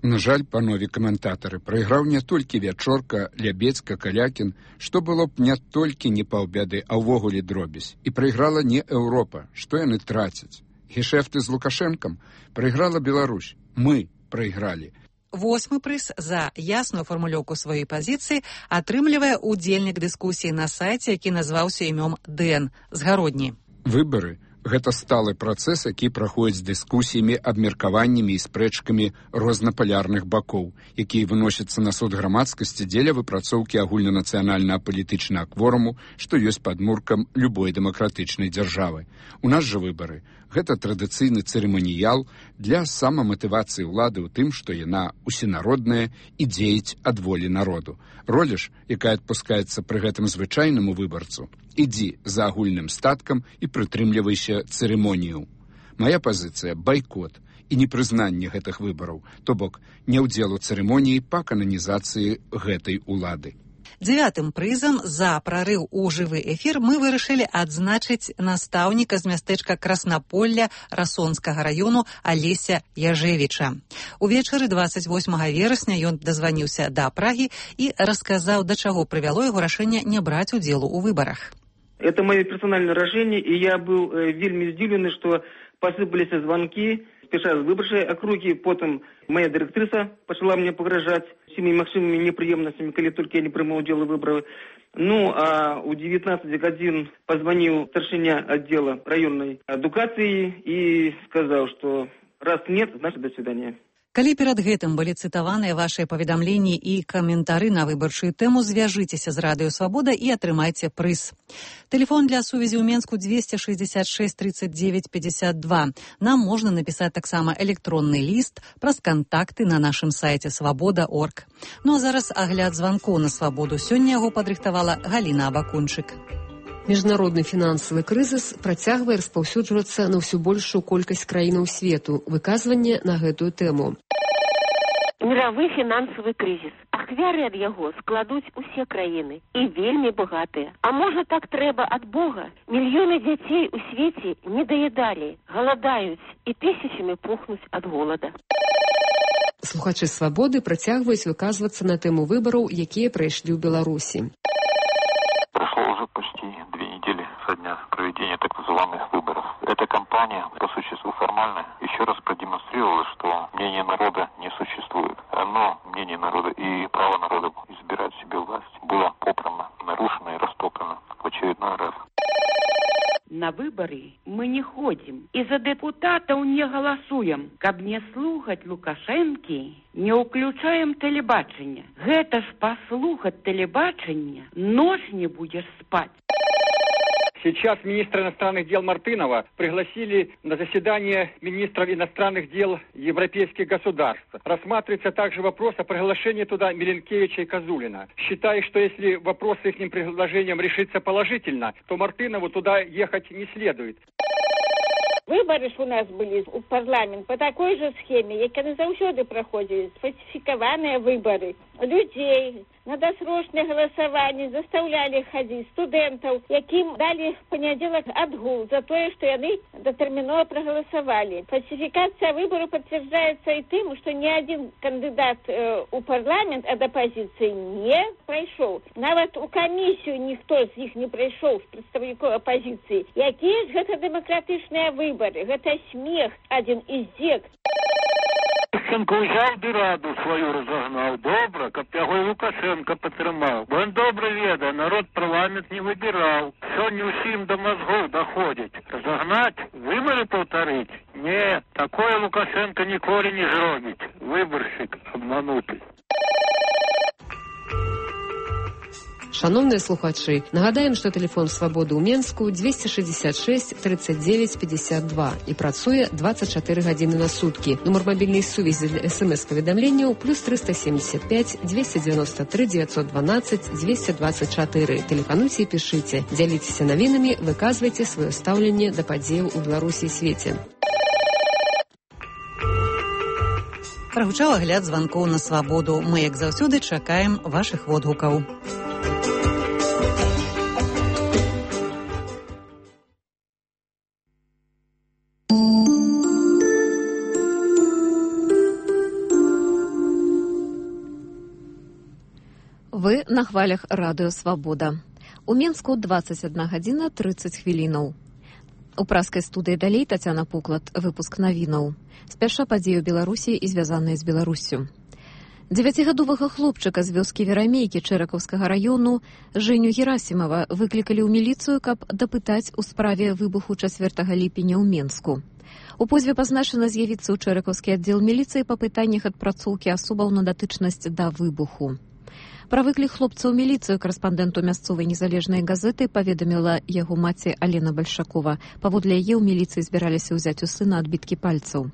На жаль, панове каментатары, прайграў не толькі Вячорка, Лябецька, Калякін, што было б не толькі не паўбяды, а ўвогуле дробязь. І прайграла не Еўропа, што яны трацяць. Гешэфты з Лукашэнкам прайграла Беларусь. Мы прайгралі. 8-й прыз за ясную фармулёўку сваёй пазіцыі атрымлівае удзельнік дыскусіі на сайце, які назваўся імём Дэн з Гародні. Выбары гэта сталы працэс, які праходзіць з дыскусіямі, абмеркаваннямі і спрэчкамі рознапалярных бакоў, якія выносяцца на суд грамадскасці дзеля выпрацоўкі агульнанацыянальнага палітычнага кворуму, што ёсць падмуркам любой дэмакратычнай дзяржавы. У нас жа выбары гэта традыцыйны цырыманіял для самаматывацыі ўлады ў тым, што яна усенародная і дзеяць ад волі народу. Роля ж, якая адпускаецца пры гэтым звычайнаму выбарцу, ідзі за агульным статкам і прытрымлівайся цырымонію. Мая пазіцыя – байкот і непрызнанне гэтых выбараў, то бок не ўдзел у цырымоніі па кананізацыі гэтай улады. 9-м прызам за прарыў у жывы эфір мы вырашылі адзначыць настаўніка з мястэчка Краснаполля Расонскага раёну Алеся Яжевіча. Увечары 28 верасня ён дазваніўся да Прагі і расказаў, да чаго прывяло яго рашэнне не браць удзелу ў выбарах. Это мое персональное рашэнне, і я быў вельмі здзіўлены, што пасыпаліся званкі спеша з выбарчай акругі, потым моя дырэктрыса пачала мне пагражаць всеми магчымымі непрыемнасцямі, калі толькі я не прымаў удзел у выбарах. Ну, а ў 19 гадзін пазваніў старшыня аддзела раённай адукацыі і сказаў, што раз нет, значит до свидания. Калі перад гэтым былі цытаваныя вашыя паведамленні і каментары на выбарчую тэму, звяжыцеся з Радыё Свабода і атрымайце прыз. Тэлефон для сувязі ў Менску 266 39 52. Нам можна напісаць таксама электронны ліст праз кантакты на нашым сайце свабода.орг. Ну а зараз агляд званкоў на Свабоду. Сёння яго падрыхтавала Галіна Абакунчык. Міжнародны фінансавы крызіс працягвае распаўсюджвацца на ўсё большую колькасць краінаў свету. Выказванне на гэтую тэму. Мировы фінансавы крызіс. Ахвяры ад яго складуць усе краіны і вельмі багатыя. А можа так трэба ад Бога? Мільёны дзяцей у свеце не даядалі, галадаюць і тысячамі пухнуць ад голода. Слухачы Свабоды працягваюць выказвацца на тэму выбараў, якія прайшлі ў Беларусі. Прошло уже почти 2 недели со дня проведения так называемых выборов. Эта кампания, по существу формальная, еще раз продемонстрировала, что мнение народа не существует. Но мнение народа и право народа избирать себе власть было попрано, нарушено и растоптано в очередной раз. На выборы мы не ходим и за депутатов не голосуем. Каб не слухать Лукашенки, не уключаем телебачення. Гэта ж послухать телебачення, ночь не будешь спать. Сейчас министра иностранных дел Мартынова пригласили на заседание министров иностранных дел европейских государств. Рассматривается также вопрос о приглашении туда Миленкевича и Козулина. Считаю, что если вопрос с их предложением решится положительно, то Мартынову туда ехать не следует. Выборы ж у нас были у парламент по такой же схеме, як яны заўсёды праходзілі, сфальсифікаваныя выборы. Людей на досрочное голосование заставляли ходить студентов, яким дали в понедельник отгул за то, что они дотерминово проголосовали. Фальсификация выборов подтверждается и тем, что ни один кандидат у парламент от оппозиции не пройшов. Нават у комиссию никто из них не пройшов, з представников оппозиции. Якія ж гэта демократичные выборы? Гэта смех, один из зек. Ющенко ўзяў ды раду сваю разогнаў. Добра, каб яго і Лукашенко падтрымаў. Бо ён добра ведае, народ парламент не выбіраў. Сёння ўсім да мазгоў даходзіць. Разогнаць, выборы паўтарыць? Не, такое Лукашенко ніколі не зробіць. Выбаршчык абмануты. Шановныя слухачы, нагадаем, што тэлефон Свабоды ў Менску 266 39 52 і працуе 24 гадзіны на суткі. Нумар мабільнай сувязі для СМС-паведамленняў плюс 375 293 912 224. Тэлефануйце і пішыце. Дзяліцеся навінамі, выказвайце сваё стаўленне да падзеяў у Беларусі і свеце. Прагучаў агляд званкоў на Свабоду. Мы, як заўсёды, чакаем вашых водгукаў. Вы на хвалях радыё «Свабода». У Менску 21 гадзіна 30 хвілінаў. У праскай студыі далей Тацяна Пуклад, выпуск навінаў. Спяша падзею Беларусі і звязаныя з Беларуссю. 9гадовага хлопчыка з вёскі Верамейкі Чэракаўскага раёну Жэню Герасімова выклікалі ў міліцыю, каб дапытаць у справе выбуху 4 ліпеня ў Менску. У позве пазначана з'явіцца ў Чэракаўскі аддзел міліцыі па пытаннях адпрацоўкі асобаў на датычнасць да выбуху. Пра выклік хлопца ў міліцыю карэспандэнту мясцовай незалежнай газеты паведаміла яго маці Алена Бальшакова. Паводле яе ў міліцыі збіраліся ўзяць у сына адбіткі пальцаў.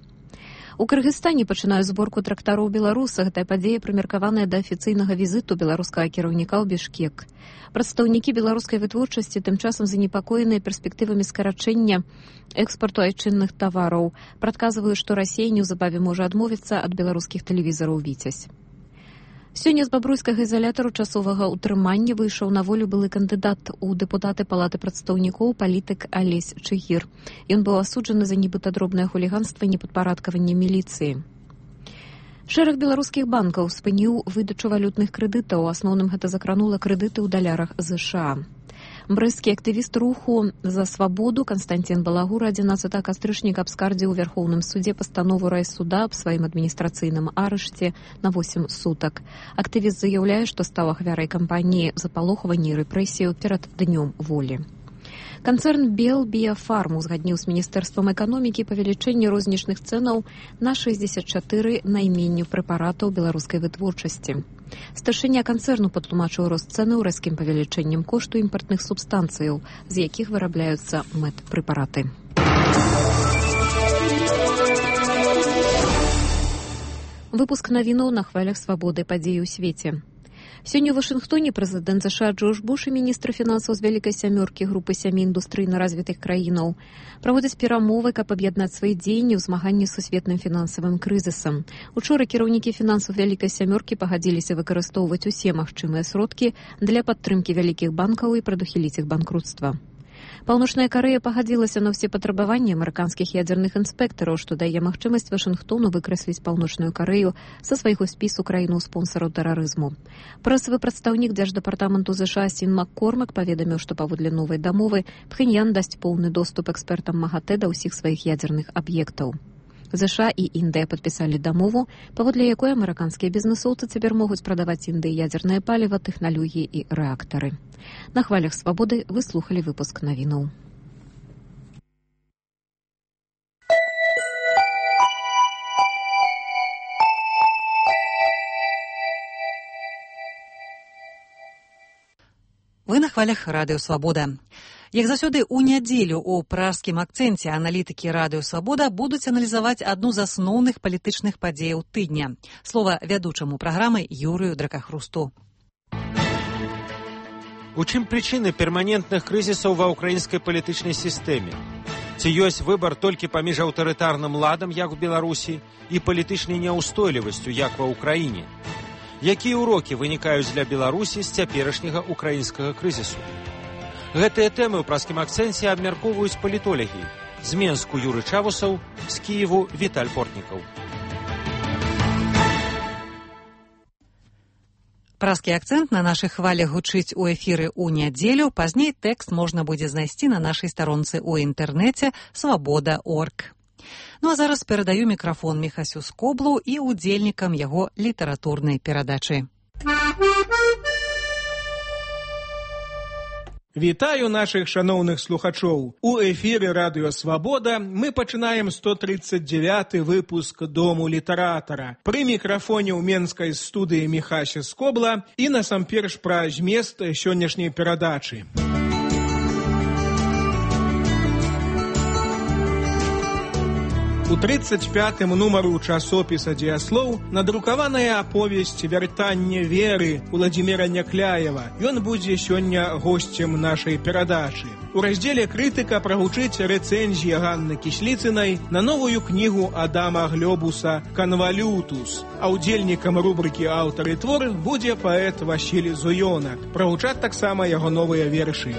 У Кыргызстане пачынаюць зборку трактараў беларуса. Гэтая падзея прымеркаваная да афіцыйнага візіту беларускага кіраўніка ў Бішкек. Прадстаўнікі беларускай вытворчасці тым часам занепакоеныя перспектывамі скарачэння экспарту айчынных тавараў. Прадказваюць, што Расія неўзабаве можа адмовіцца ад беларускіх тэлевізараў «Віцязь». Сёння з бабруйскага ізалятару часовага ўтрымання выйшаў на волю былы кандыдат у дэпутаты палаты прадстаўнікоў палітык Алесь Чыгір. Ён быў асуджаны за нібыта дробнае хуліганства і непадпарадкаванне міліцыі. Шэраг беларускіх банкаў спыніў выдачу валютных крэдытаў. У асноўным гэта закранула крэдыты ў далярах ЗША. Брэсцкі актывіст руху «За свабоду» Канстантин Балагур 11 кастрычніка абскардзіў у Вярхоўным судзе пастанову райсуда аб сваім адміністрацыйным арышце на 8 сутак. Актывіст заяўляе, што стаў ахвярай кампаніі запалохвання і рэпрэсію перад днём волі. Канцэрн «Бел Біяфарм» узгадніў з Міністэрствам эканомікі павелічэнне рознічных цэнаў на 64 найменню прэпаратаў беларускай вытворчасці. Старшыня канцэрну патлумачыў рост цэнаў рэзкім павелічэннем кошту імпартных субстанцыяў, з якіх вырабляюцца медпрэпараты. Выпуск навінаў на хвалях «Свабоды», падзеі ў свеце. Сёння ў Вашынгтоне прэзідэнт ЗША Джордж Буш і міністр фінансаў з Вялікай сямёркі групы 7 індустрыйна развітых краінаў праводзяць перамовы, каб аб'яднаць свае дзеянні ў змаганні з сусветным фінансавым крызісам. Учора кіраўнікі фінансаў Вялікай сямёркі пагадзіліся выкарыстоўваць усе магчымыя сродкі для падтрымкі вялікіх банкаў і прадухіліць іх банкруцтва. Паўночная Карэя пагадзілася на ўсе патрабаванні амерыканскіх ядзерных інспектараў, што дае магчымасць Вашынгтону выкрэсліць Паўночную Карэю са свайго спісу краінаў-спонсараў тэрарызму. Прэсавы прадстаўнік дзярждэпартаменту ЗША Сін Маккормак паведаміў, што паводле новай дамовы Пхеньян дасць поўны доступ экспертам МАГАТЭ да ўсіх сваіх ядзерных аб'ектаў. ЗША і Індыя падпісалі дамову, паводле якой амерыканскія бізнэсоўцы цяпер могуць прадаваць Індыі ядзернае паліва, тэхналогіі і рэактары. На хвалях «Свабоды» вы слухалі выпуск навінаў. Вы на хвалях радыё «Свабода». Як заўсёды, у нядзелю ў пражскім акцэнце аналітыкі радыё «Свабода» будуць аналізаваць адну з асноўных палітычных падзеяў тыдня. Слова вядучаму праграмы Юрыю Дракахрусту. У чым прычыны перманентных крызісаў ва ўкраінскай палітычнай сістэме? Ці ёсць выбар толькі паміж аўтарытарным ладам, як у Беларусі, і палітычнай няўстойлівасцю, як ва ўкраіне? Якія ўрокі вынікаюць для Беларусі з цяперашняга ўкраінскага крызісу? Гэтыя тэмы ў пражскім акцэнце абмяркоўваюць палітолагі. З Менску Юры Чавусаў, з Кіеву Віталь Портнікаў. Пражскі акцэнт на нашых хвалях гучыць у эфіры ў нядзелю. Пазней тэкст можна будзе знайсці на нашай старонцы ў інтэрнэце «Свабода.орг». Ну а зараз перадаю мікрафон Міхасю Скоблу і удзельнікам яго літаратурнай перадачы. Вітаю наших шаноўных слухачоў. У эфіры Радыё Свабода мы пачынаем 139 выпуск Дому літаратара. Пры мікрафоне ў менскай студыі Міхася Скобла і насамперш пра змест сённяшняй перадачы. У 35-м нумару часопіса «Дзеяслоў» надрукаваная аповесць «Вяртанне веры» Уладзіміра Някляева. Ён будзе сёння госцем нашай перадачы. У раздзеле «Крытыка» прагучыць рэцэнзія Ганны Кісліцынай на новую кнігу Адама Глёбуса «Канвалютус». А удзельнікам рубрыкі «Аўтар і твор» будзе паэт Васіль Зуёнак. Прагучаць таксама яго новыя вершы.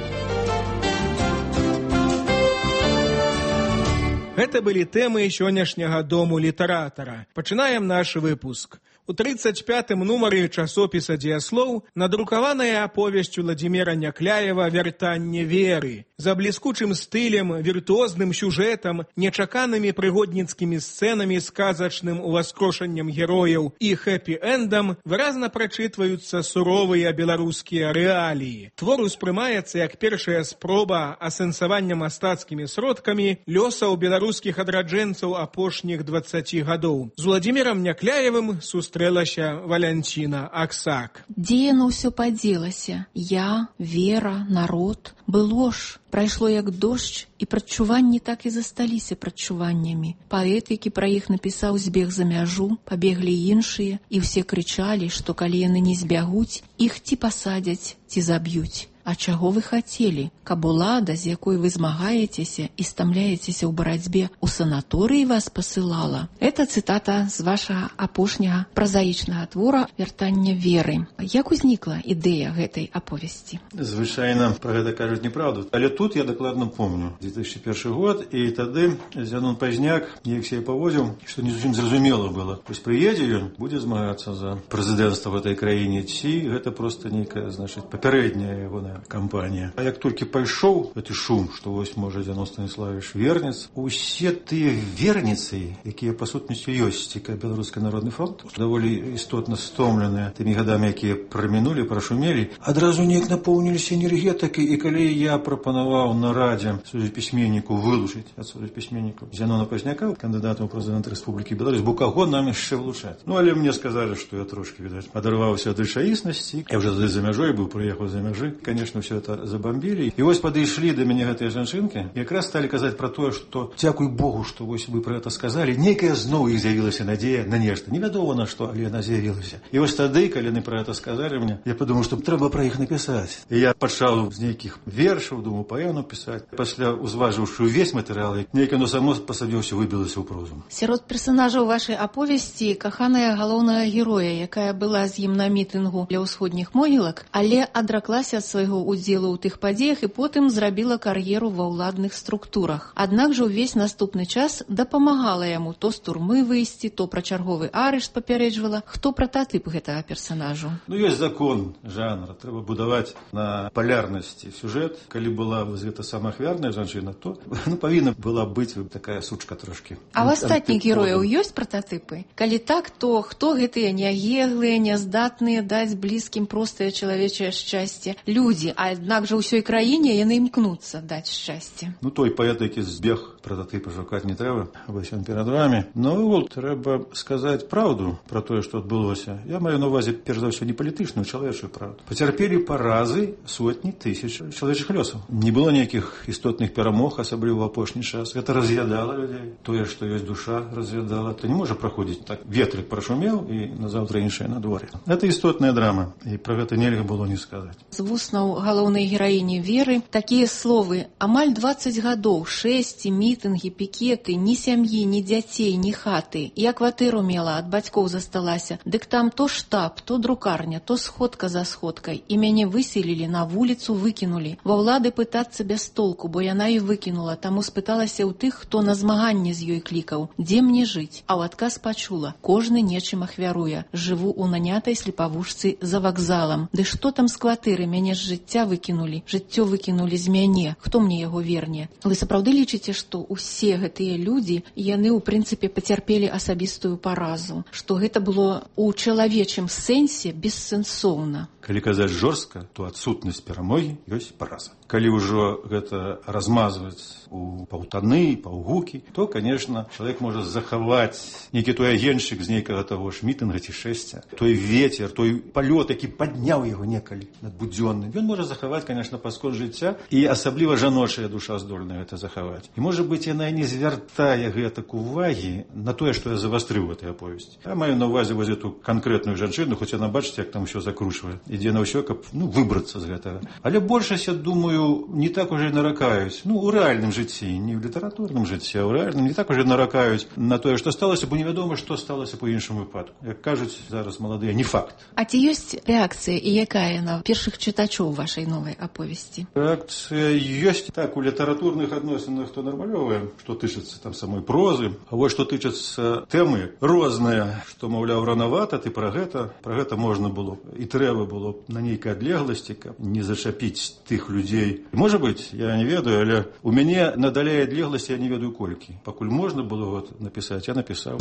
Гэта былі тэмы сённяшняга Дому літаратара. Пачынаем наш выпуск. У 35-м нумары часопіса «Дзеяслоў» надрукаваная аповесць Уладзіміра Някляева «Вяртанне веры». За бліскучым стылем, віртуозным сюжэтам, нечаканымі прыгодніцкімі сцэнамі, сказачным уваскрошаннем герояў і хэпі-эндам выразна прачытваюцца суровыя беларускія рэаліі. Твор успрымаецца як першая спроба асэнсавання мастацкімі сродкамі лёсаў беларускіх адраджэнцаў апошніх 20 гадоў. З Уладзімірам Някляевым сустрэлася Валянціна Аксак. Дзе яно ўсё падзелася? Я, вера, народ. Было ж, прайшло як дождж, і прадчуванні так і засталіся прадчуваннямі. Паэт, які пра іх напісаў, збег за мяжу, пабеглі іншыя, і ўсе крычалі, што калі яны не збягуць, іх ці пасадзяць, ці заб'юць. А чаго вы хацелі? Каб улада, з якой вы змагаецеся і стамляецеся ў барацьбе, у санаторыі вас пасылала? Это цытата з вашага апошняга празаічнага твора «Вяртанне веры». Як узнікла ідэя гэтай аповесці? Звычайна пра гэта кажуць неправду. Але тут я дакладна помню. 2001 год, і тады Зянон Пазняк неяк сябе паводзіў, што не зусім зразумела было. Вось прыедзе ён, будзе змагацца за прэзідэнцтва в этой краіне, ці гэта проста нейкая, значыць, папярэдняя яго кампанія. А як толькі пайшоў гэты шум, што вось, можа, Зянон Станіславович вернец, усе тыя верніцы, якія па сутнасці ёсць, цікавы Беларускі народны фронт, даволі істотна стомленыя тымі гадамі, якія прамінулі, прашумелі, адразу неяк напоўніліся энергетыкай, і калі я прапанаваў на радзе сувязьпісьменніку вылучыць ад сувязьпісьменнікаў Зянона Пазняка, кандыдата ў прэзідэнта Рэспублікі Беларусь, бо каго нам яшчэ вылучаць? Ну, але мне сказалі, што я трошки, відаць, адарваўся ад рэчаіснасці. Я ўжо за мяжой быў, прыехаў за мяжы. Конечно, все это забомбили. И вот подошли до меня гэтыя жанчынки, и как раз стали казать про то, что дзякуй Богу, что вось вы про это сказали. Некая зноў іх з'явілася надея на нешта. Невядома на што, але яна з'явілася. І вось тады, калі яны про это сказали мне, я подумал, что трэба про іх написать. И я пачаў з нейкіх вершаў, думаю, паэну писать. Пасля узважыўшы увесь матэрыял, нейкае оно само па сабе ўсё выбілася ў прозу. Сярод персонажаў вашай аповесці каханая галоўнага героя, якая была з ім на мітынгу для ўсходніх могілак, але адраклася ад свайго удзелу ў тых падзеях і потым зрабіла кар'еру ва ўладных структурах. Аднак жа ўвесь наступны час дапамагала яму то з турмы выйсці, то пра чарговы арышт папярэджвала. Хто прататып гэтага персанажу? Ну, ёсць закон жанра. Трэба будаваць на палярнасці сюжэт. Калі была гэта самая ахвярная жанчына, то павінна была быць такая сучка трошки. А ў астатніх герояў ёсць прататыпы? Калі так, то хто гэтыя няеглыя, няздатныя даць блізкім простае чалавечае шчасце людзі, аднак жа ўсёй краіне яны імкнуцца даць шчасце. Ну, той паэт, які збег, прататыпа шукаць не трэба, вось ён перад вами. Ну, трэба сказаць праўду пра тое, што адбылося. Я маю на увазе, перш за ўсё, не палітычную, чалавечую праўду. Пацярпелі паразы сотні тысяч чалавечых лёсаў. Не было ніякіх істотных перамог, асабліва ў апошні час. Гэта раз'ядала людзей. Тое, што ёсць душа, раз'ядала. То не можа праходзіць так. Ветрык прашумеў, і назаўтра іншае на дворе. Гэта істотная драма, і пра гэта нельга было не сказаць. З вуснаў галоўнай гераіні Веры такія словы: амаль 20 гадоў, шэсці, мітынгі, пікеты, ні сям'і, ні дзяцей, ні хаты. Я кватэру мела, ад бацькоў засталася. Дык там то штаб, то друкарня, то сходка за сходкай. І мяне выселілі, на вуліцу выкінулі. Ва ўлады пытацца без толку, бо яна і выкінула. Таму спыталася ў тых, хто на змаганне з ёй клікаў. Дзе мне жыць? А ў адказ пачула: кожны нечым ахвяруе. Жыву ў нанятай слепавушцы за вакзалам. Ды што там з кватэры, мяне ж жыць жыцця выкінулі, жыццё выкінулі з мяне, хто мне яго верне? Вы сапраўды лічыце, што ўсе гэтыя людзі, яны ў прынцыпе пацярпелі асабістую паразу, што гэта было у чалавечым сэнсе бессэнсоўна? Калі казаць жорстка, то адсутнасць перамогі ёсць параза. Калі ўжо гэта размазваць у паўтаны, паўгукі, то, конечно, чалавек можа захаваць нейкі той агеншчык з нейкага таго ж мітынга ці шэсця, той ветер, той палёт, які падняў яго некалі надбудзённы. Ён можа захаваць, конечно, паскон жыцця, і асабліва жаночая душа здольная гэта захаваць. І, можа быць, яна не звяртае гэтак увагі на тое, што я завастрыў гэтай аповесці. Я маю на ўвазе вось эту канкрэтную жанчыну, хоць яна, бачыце, як там усё закручвае. Ідзе на ўсё, каб выбрацца з гэтага. Але большасць, я думаю, не так уже наракаюць. У рэальным жыцці, не ў літаратурным жыцці, а ў рэальным не так уже наракаюць на тое, што сталася, бо невядома, што сталася па іншым выпадку. Як кажуць зараз маладыя, не факт. А ці ёсць рэакцыя і якая на першых чытачоў вашай новай аповесці? Рэакцыя ёсць. Так, у літаратурных адносінах то нармалёвая, што тычыцца там самой прозы, а вось што тычыцца тэмы розныя, што, маўляў, ранавата, ты пра гэта можна было і трэба было на нейкай адлегласці, каб не зачапіць тых людзей. Можа быць, я не ведаю, але у мяне надалей адлегласці я не ведаю колькі. Пакуль можна было напісаць, я напісаў.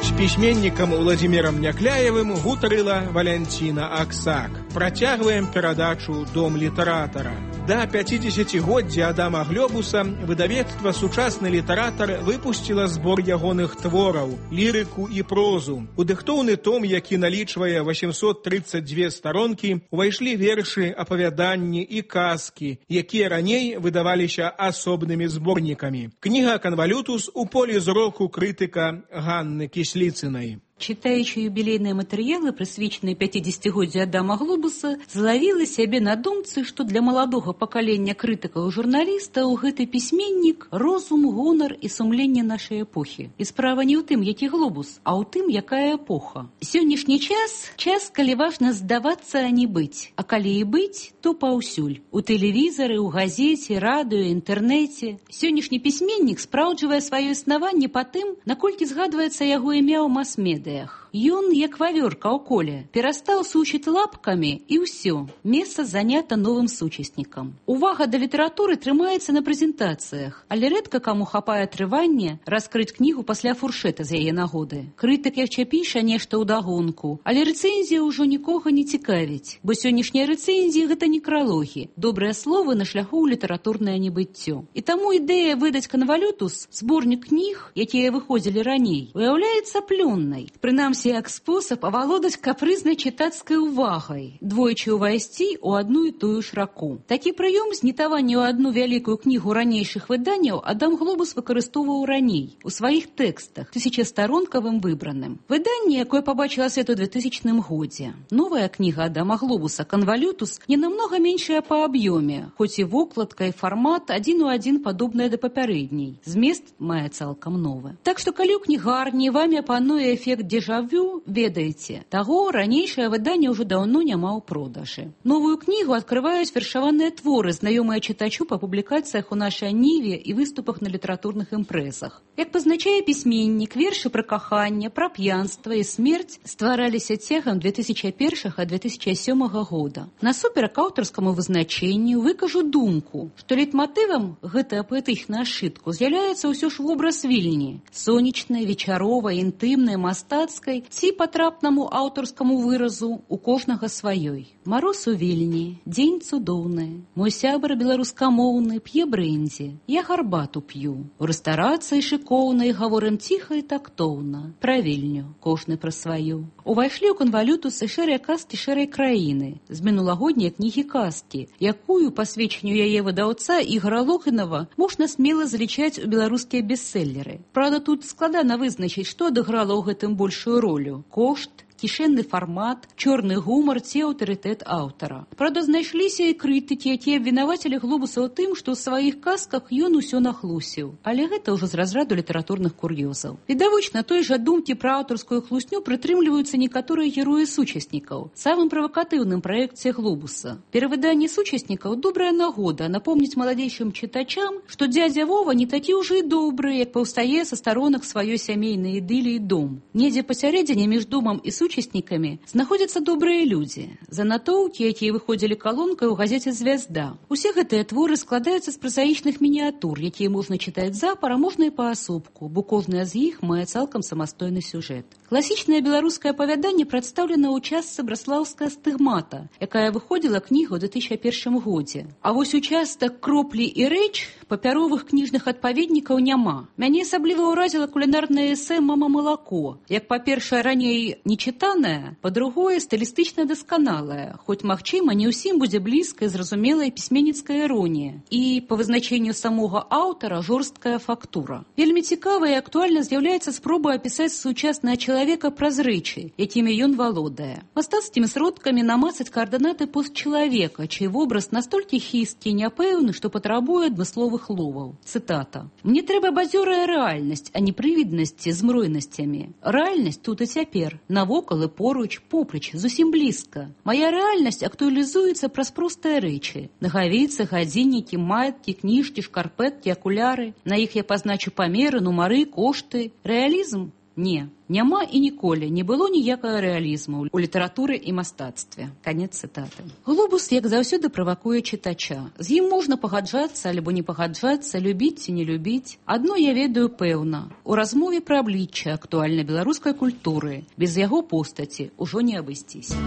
З пісьменнікам Уладзімірам Някляевым гутарыла Валянціна Аксак. Працягваем перадачу «Дом літаратара». Да 50-годдзя Адама Глёбуса выдавецтва «Сучасны літаратар» выпусціла збор ягоных твораў, лірыку і прозу. У дыхтоўны том, які налічвае 832 старонкі, увайшлі вершы, апавяданні і казкі, якія раней выдаваліся асобнымі зборнікамі. Кніга «Канвалютус» у полі зроку крытыка Ганны Кісліцынай. Читаючи юбілейныя матэрыялы, прысвечаныя 50-годдзю Адама Глобуса, злавіла сябе на думцы, што для маладога пакалення крытыкаў і журналістаў гэты пісьменнік розум, гонар і сумленне нашай эпохі. І справа не ў тым, які Глобус, а ў тым, якая эпоха. Сённяшні час, калі важна здавацца, а не быць. А калі і быць, то паўсюль. У тэлевізары, у газеце, радыё, інтэрнэце. Сённяшні пісьменнік спраўджвае сваё існаванне па тым, наколькі згадваецца яго імя ў мас-медыа. Ён, як вавёрка ў коле, перастаў сучыць лапкамі і ўсё. Месца занята новым сучаснікам. Увага да літаратуры трымаецца на прэзентацыях, але рэдка каму хапае трывання раскрыць кнігу пасля фуршэта з яе нагоды. Крытык яшчэ піша нешта ўдагонку, але рэцэнзія ўжо нікога не цікавіць, бо сённяшнія рэцэнзіі гэта некралогі, добрыя словы на шляху ў літаратурнае небыццё. І таму ідэя выдаць «Канвалютус», зборнік кніг, якія выходзілі раней, уяўляецца плённай. Прынамсі, як спосаб авалодаць капрызнай чытацкай увагай, двойчы ўвайсці ў адну і тую ж раку. Такі прыём знітавання ў адну вялікую кнігу ранейшых выданняў Адам Глобус выкарыстоўваў раней у сваіх тэкстах, 1000-старонкавым выбраным. Выданне, якое пабачыла свет у 2000 годзе. Новая кніга Адама Глобуса «Канвалютус» не намнога меншая па аб'ёме, хоць і вокладка і фармат адзін у адзін падобныя да папярэдняй. Змест мае цалкам новы. Так што калі ў кнігарні вамі пануе эфект дзежавю, ведаеце, таго ранейшае выданне ўжо даўно няма ў продажы. Новую кнігу адкрываюць вершаваныя творы, знаёмыя чытачу па публікацыях у нашай ніве і выступах на літаратурных імпрэзах. Як пазначае пісьменнік, вершы пра каханне, пра п'янства і смерць ствараліся цягам 2001-2007 года. Насуперак аўтарскаму вызначэнню выкажу думку, што лейтматывам гэтага паэтычнага сшытку з'яўляецца ўсё ж вобраз Вільні, сонечнай, вечаровай, інтымнай, мастацкай ці патрапнаму аўтарскаму выразу у кожнага сваёй. Мароз у Вільні, дзень цудоўны, мой сябар беларускамоўны п'е брэндзі, я гарбату п'ю. У рэстарацыі шыкоўнай гаворым ціха і тактоўна, пра Вільню, кожны пра сваю. Увайшлі ў «Канвалютус» і шэрыя казкі шэрай краіны, з мінулагодняй кнігі казкі, якую, па сведчанню яе выдаўца Ігора Логінава, можна смела залічаць у беларускія бестселлеры. Правда, тут складана вызначыць, што адыграла ў гэтым большую ролю – кошт кішэнны фармат, чорны гумар ці аўтарытэт аўтара. Правда, знайшліся і крытыкі, якія абвінавацілі Глобуса ў тым, што ў сваіх казках ён усё нахлусіў. Але гэта ўжо з разраду літаратурных кур'ёзаў. Відавочна, той жа думкі пра аўтарскую хлусню прытрымліваюцца некаторыя героі сучаснікаў. Самым правакатыўным праекце Глобуса. Перавыданне сучаснікаў добрая нагода напомніць маладзейшым чытачам, што дзядзя Вова не такі ўжо і добры, як паўстае са старонак сваёй сямейнай ідыліі дом. Недзе пасярэдзіне між домам і сучаснікамі знаходзяцца добрыя людзі. Занатоўкі, якія выходзілі калонкай у газеце «Звязда». Усе гэтыя творы складаюцца з празаічных мініятур, якія можна чытаць запар, а можна і паасобку, бо кожная з іх мае цалкам самастойны сюжэт. Класічнае беларускае апавяданне прадстаўлена ў частцы «Браслаўская стыгмата», якая выходзіла кнігу ў 2001 годзе. А вось участак «Кроплі і рэч» папяровых кніжных адпаведнікаў няма. Мяне асабліва ўразіла кулінарнае эсэ «Мама малако». Як, па-першае, раней нечытанае, па-другое, стылістычна дасканалае, хоць, магчыма, не ўсім будзе блізкая, зразумелая пісьменніцкая іронія. І, па вызначэнню самога аўтара, жорсткая фактура. Вельмі цікава і актуальна з'яўляецца спроба апісаць сучаснае чалавека праз рэчы, якімі ён валодае. Мастацкімі сродкамі намацаць каардынаты постчалавека, чый вобраз настолькі хісткі і няпэўны, што патрабуе адмысловых ловаў. Цытата. «Мне трэба бадзёрая рэальнасць, а не прывіднасці з мройнасцямі. Рэальнасць тут і цяпер, навокал і поруч, поплеч, зусім блізка. Мая рэальнасць актуалізуецца праз простыя рэчы. Нагавіцы, гадзіннікі, маяткі, кніжкі, шкарпэткі, акуляры. На іх я пазначу памеры, нумары, кошты. Рэалізм? Не. Няма і ніколі не было ніякага рэалізму ў літаратуры і мастацтве». Канец цытаты. Глобус, як заўсёды, правакуе чытача. З ім можна пагаджацца альбо не пагаджацца, любіць ці не любіць. Адно я ведаю пэўна. У размове пра аблічча актуальнай беларускай культуры без яго постаці ўжо не абысціся.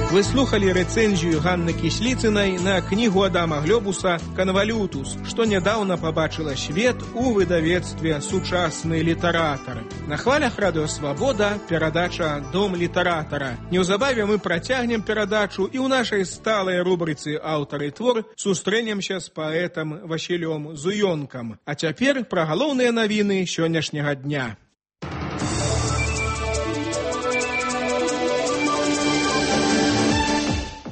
Вы слухали рэцэнзію Ганны Кісліцынай на кнігу Адама Глобуса «Канвалютус», што нядаўна пабачыла свет у выдавецтве «Сучасны літаратар». На хвалях Радыё Свабода перадача «Дом літаратара». Неўзабаве мы працягнем перадачу і ў нашай сталай рубрыцы «Аўтар і твор» сустрэнемся з паэтам Васілём Зуёнкам. А цяпер пра галоўныя навіны сённяшняга дня.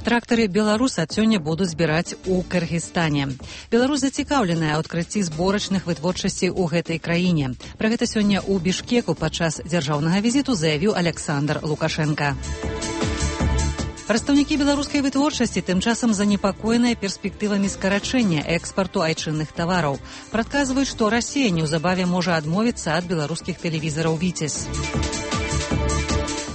Трактары «Беларусь» ад сёння будуць збіраць у Кыргызстане. Беларусь зацікаўленая ў адкрыцці зборачных вытворчасцей у гэтай краіне. Пра гэта сёння ў Бішкеку падчас дзяржаўнага візіту заявіў Александр Лукашенко. Прадстаўнікі беларускай вытворчасці тым часам занепакоеныя перспектывамі скарачэння экспарту айчынных тавараў. Прадказваюць, што Расія неўзабаве можа адмовіцца ад беларускіх тэлевізараў «Віцязь».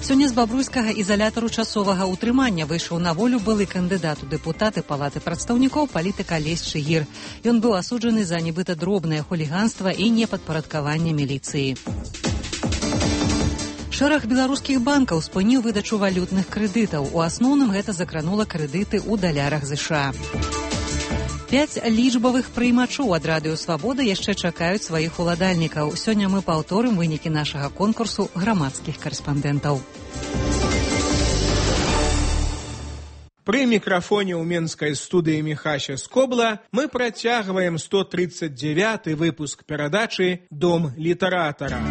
Сёння з бабруйскага ізалятару часовага ўтрымання выйшаў на волю былы кандыдат у дэпутаты Палаты прадстаўнікоў палітык Алесь Чыгір. Ён быў асуджаны за нібыта дробнае хуліганства і непадпарадкаванне міліцыі. Шэраг беларускіх банкаў спыніў выдачу валютных крэдытаў. У асноўным гэта закранула крэдыты ў далярах США. 5 лічбавых прыймачоў ад Радыё Свабода яшчэ чакаюць сваіх уладальнікаў. Сёння мы паўторым вынікі нашага конкурсу грамадскіх карэспандэнтаў. Пры мікрафоне ў менскай студыі Міхася Скобла мы працягваем 139-й выпуск перадачы «Дом літаратара».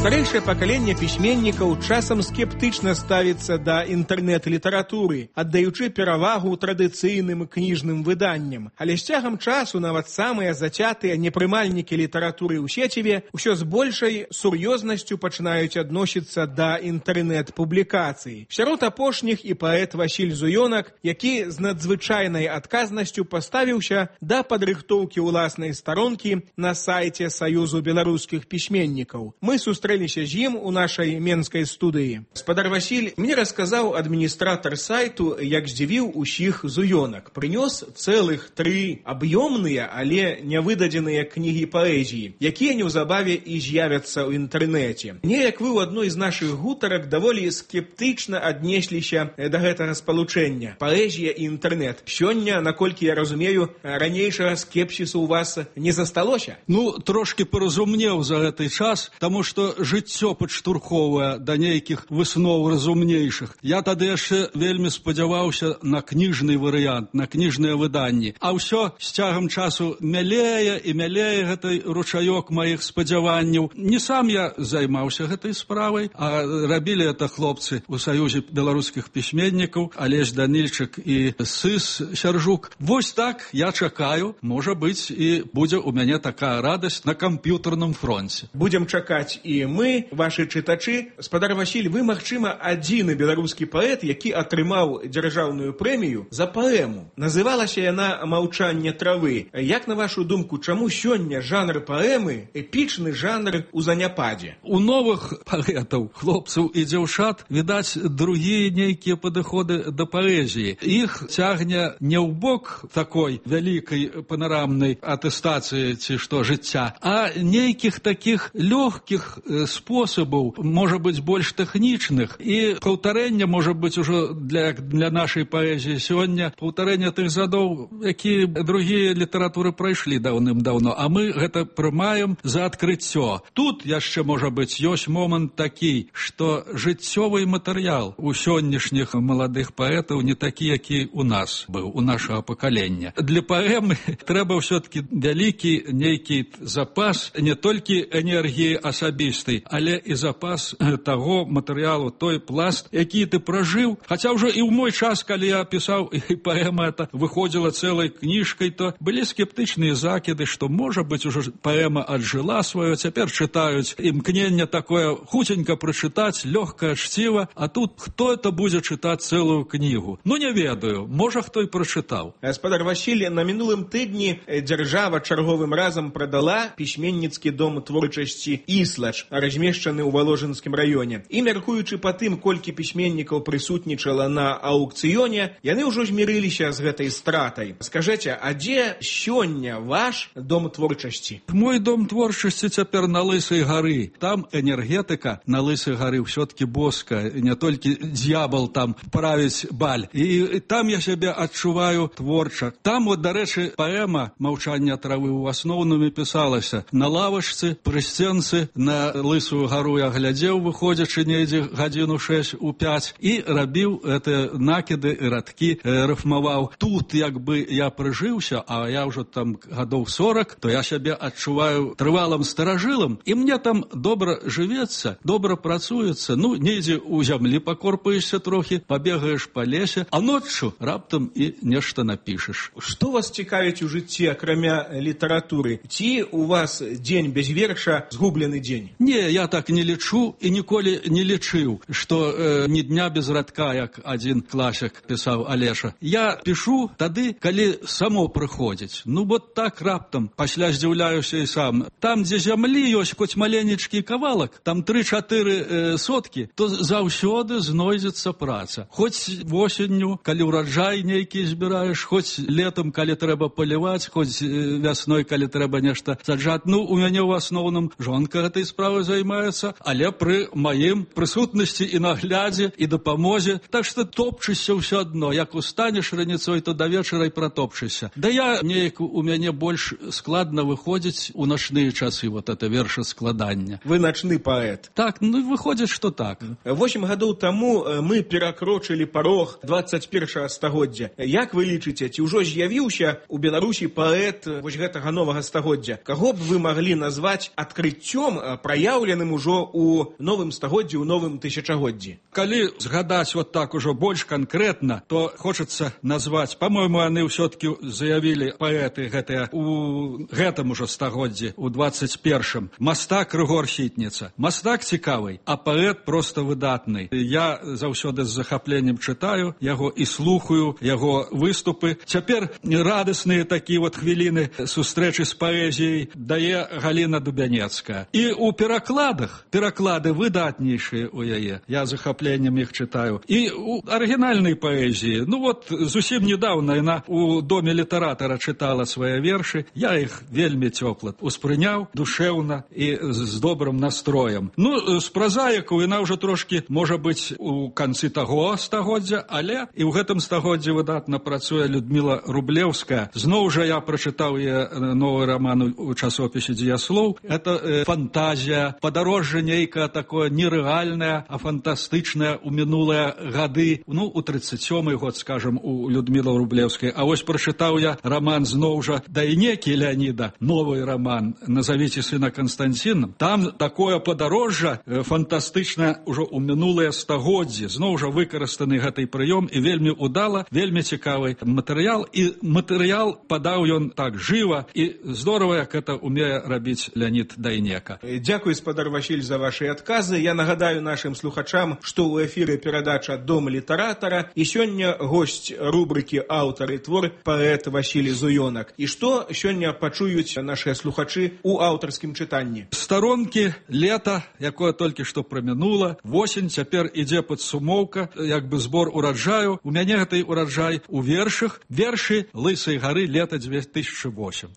Старэйшае пакаленне пісьменнікаў часам скептычна ставіцца да інтэрнэт-літаратуры, аддаючы перавагу традыцыйным кніжным выданням. Але з цягам часу нават самыя зацятыя непрымальнікі літаратуры ў сеціве ўсё з большай сур'ёзнасцю пачынаюць адносіцца да інтэрнэт-публікацый. Сярод апошніх і паэт Васіль Зуёнак, які з надзвычайнай адказнасцю паставіўся да падрыхтоўкі ўласнай старонкі на сайце Саюзу беларускіх пісьменнікаў. Мы сустрэліся з ім у нашай менскай студыі. Спадар Васіль, мне расказаў адміністратар сайту, як здзівіў усіх Зуёнак. Прынёс цэлых 3 аб'ёмныя, але нявыдадзеныя кнігі паэзіі, якія неўзабаве і з'явяцца ў інтэрнэце. Неяк вы ў адной з нашых гутарак даволі скептычна аднесліся да гэтага спалучэння. Паэзія і інтэрнэт. Сёння, наколькі я разумею, ранейшага скепсісу ў вас не засталося? Трошки паразумнеў за гэты час, таму што жыццё падштурхоўвае да нейкіх высноў разумнейшых. Я тады яшчэ вельмі спадзяваўся на кніжны варыянт, на кніжныя выданні. А ўсё з цягам часу мялее і мялее гэты ручаёк маіх спадзяванняў. Не сам я займаўся гэтай справай, а рабілі это хлопцы у Саюзе беларускіх пісьменнікаў, Алесь Данільчык і Сыс Сяржук. Вось так я чакаю, можа быць, і будзе ў мяне такая радасць на камп'ютарным фронце. Будзем чакаць і мы, вашы чытачы. Спадар Васіль, вы, магчыма, адзіны беларускі паэт, які атрымаў дзяржаўную прэмію за паэму. Называлася яна «Маўчанне травы». Як, на вашу думку, чаму сёння жанр паэмы эпічны жанр у заняпадзе? У новых паэтаў, хлопцаў і дзяўчат, відаць, другія нейкія падыходы да паэзіі. Іх цягне не ў бок такой вялікай панорамнай атэстацыі ці што жыцця, а нейкіх такіх лёгкіх спосабаў, можа быць, больш тэхнічных, і паўтарэння, можа быць, ужо для нашай паэзіі сёння, паўтарэння тых задоў, якія другія літаратуры прайшлі даўным-даўно, а мы гэта прымаем за адкрыццё. Тут яшчэ, можа быць, ёсць момант такі, што жыццёвы матэрыял у сённяшніх маладых паэтаў не такі, які у нас быў, у нашага пакалення. Для паэмы трэба ўсё-таки вялікі нейкі запас не толькі энергіі асабістай, але і запас таго матэрыялу, той пласт, які ты пражыў. Хаця ўжо і ў мой час, калі я пісаў, і паэма эта выходзіла цэлай кніжкай, то былі скептычныя закіды, што, можа быць, ужо паэма аджыла сваё, цяпер чытаюць, імкненне такое хуценька прачытаць, лёгкае чціва, а тут хто это будзе чытаць цэлую кнігу? Ну, не ведаю, можа, хто і прачытаў. Спадар Васіль, на мінулым тыдні дзяржава чарговым разам прадала пісьменніцкі дом творчасці «Іслач», размешчаны ў Валожынскім раёне. І, мяркуючы па тым, колькі пісьменнікаў прысутнічала на аўкцыёне, яны ўжо змірыліся з гэтай стратай. Скажыце, а дзе сёння ваш дом творчасці? Мой дом творчасці цяпер на Лысай гары. Там энергетыка на Лысай гары ўсё-таки боская, не толькі д'ябал там правіць баль. І там я сябе адчуваю творча. Там, вот, дарэчы, паэма «Маўчанне травы» ў асноўным пісалася на лавачцы, пры сценцы, на Лысую гару я глядзеў, выходзячы недзе гадзіну 6 у 5, і рабіў гэтыя накіды і радкі, рыфмаваў. Тут, як бы, я прыжыўся, а я ўжо там гадоў 40, то я сябе адчуваю трывалым старажылам, і мне там добра жывецца, добра працуецца. Ну, недзе ў зямлі пакорпаешся трохі, пабегаеш па лесе, а ноччу раптам і нешта напішаш. Што вас цікавіць у жыцці, акрамя літаратуры? Ці у вас дзень без верша згублены дзень? Не, я так не лічу і ніколі не лічыў, што ні дня без радка, як адзін класік пісаў Алеша. Я пішу тады, калі само прыходзіць. Ну, вот так раптам, пасля здзіўляюся і сам. Там, дзе зямлі ёсць хоць маленечкі кавалак, там 3-4 соткі, то заўсёды знойдзецца праца. Хоць восенню, калі ўраджай нейкі збіраеш, хоць летом, калі трэба паліваць, хоць вясной, калі трэба нешта саджаць. Ну, у мяне ў асноўным жонка гэтай справай займаецца, але пры маім прысутнасці і наглядзе, і дапамозе. Так што топчышся ўсё адно. Як устанеш раніцой, то да вечара і пратопчышся. Да я неяк у мяне больш складна выходзіць у начныя часы, вот это вершаскладання. Вы начны паэт. Так, ну выходзіць, што так. 8 гадоў таму мы перакрочылі парог 21 стагоддзя. Як вы лічыце, ці ўжо з'явіўся у Беларусі паэт вось гэтага новага стагоддзя? Каго б вы маглі назваць адкрыццём, праяўленым ужо ў новым стагоддзі, у новым тысячагоддзі? Калі згадаць вот так ужо больш канкрэтна, то хочацца назваць, по-моему, яны ўсё-таки заявілі паэты гэтыя у гэтым ужо стагоддзі, у 21-м. Мастак Рыгор Сітніца. Мастак цікавый, а паэт просто выдатны. Я заўсёды з захапленнем чытаю яго і слухаю яго выступы. Цяпер радасныя такія вот хвіліны сустрэчы з паэзіяй дае Галіна Дубянецкая. І у пераклады выдатнейшыя у яе. Я захапленнем іх чытаю. І у арыгінальнай паэзіі, ну вот зусім недавно яна у доме літаратара чытала свае вершы. Я іх вельмі цёпла успрыняў, душэўна і з добрым настроем. Ну, з празаікаў яна ўжо трошкі, можа быць, у канцы таго стагоддзя, але і ў гэтым стагоддзі выдатна працуе Людміла Рублеўская. Зноў жа я прачытаў яе новы роман у часопісе «Дзеяслоў». Это фантазія гэта падарожжа нейкае такое нерэальнае, а фантастычнае ў минулыя гады. Ну, у 37-й год, скажем, у Людмілы Рублеўскай. А вось прачытаў я роман зноў жа Дайнекі Леаніда, новый роман «Назовите сына Константином». Там такое падарожжа фантастычнае ўжо ў мінулыя стагоддзі. Зноў жа выкарыстаны гэты прыём і вельмі удала, вельмі цікавы матэрыял. І матэрыял падаў ён так жыва і здорава, як гэта умее рабіць Леонид Дайнека. Дзякуй, спадар Васіль, за ваши адказы. Я нагадаю нашим слухачам, што ў эфіры перадача «Дом літаратара» і сёння госць рубрыкі «Аўтар і твор» паэт Васіль Зуёнак. І што сёння пачуюць нашыя слухачы ў аўтарскім чытанні? Старонкі лета, якое толькі што прамінула, восень, цяпер ідзе падсумоўка, як бы збор ураджаю. У мяне гэты ураджай у вершах, вершы Лысай гары лета 2008.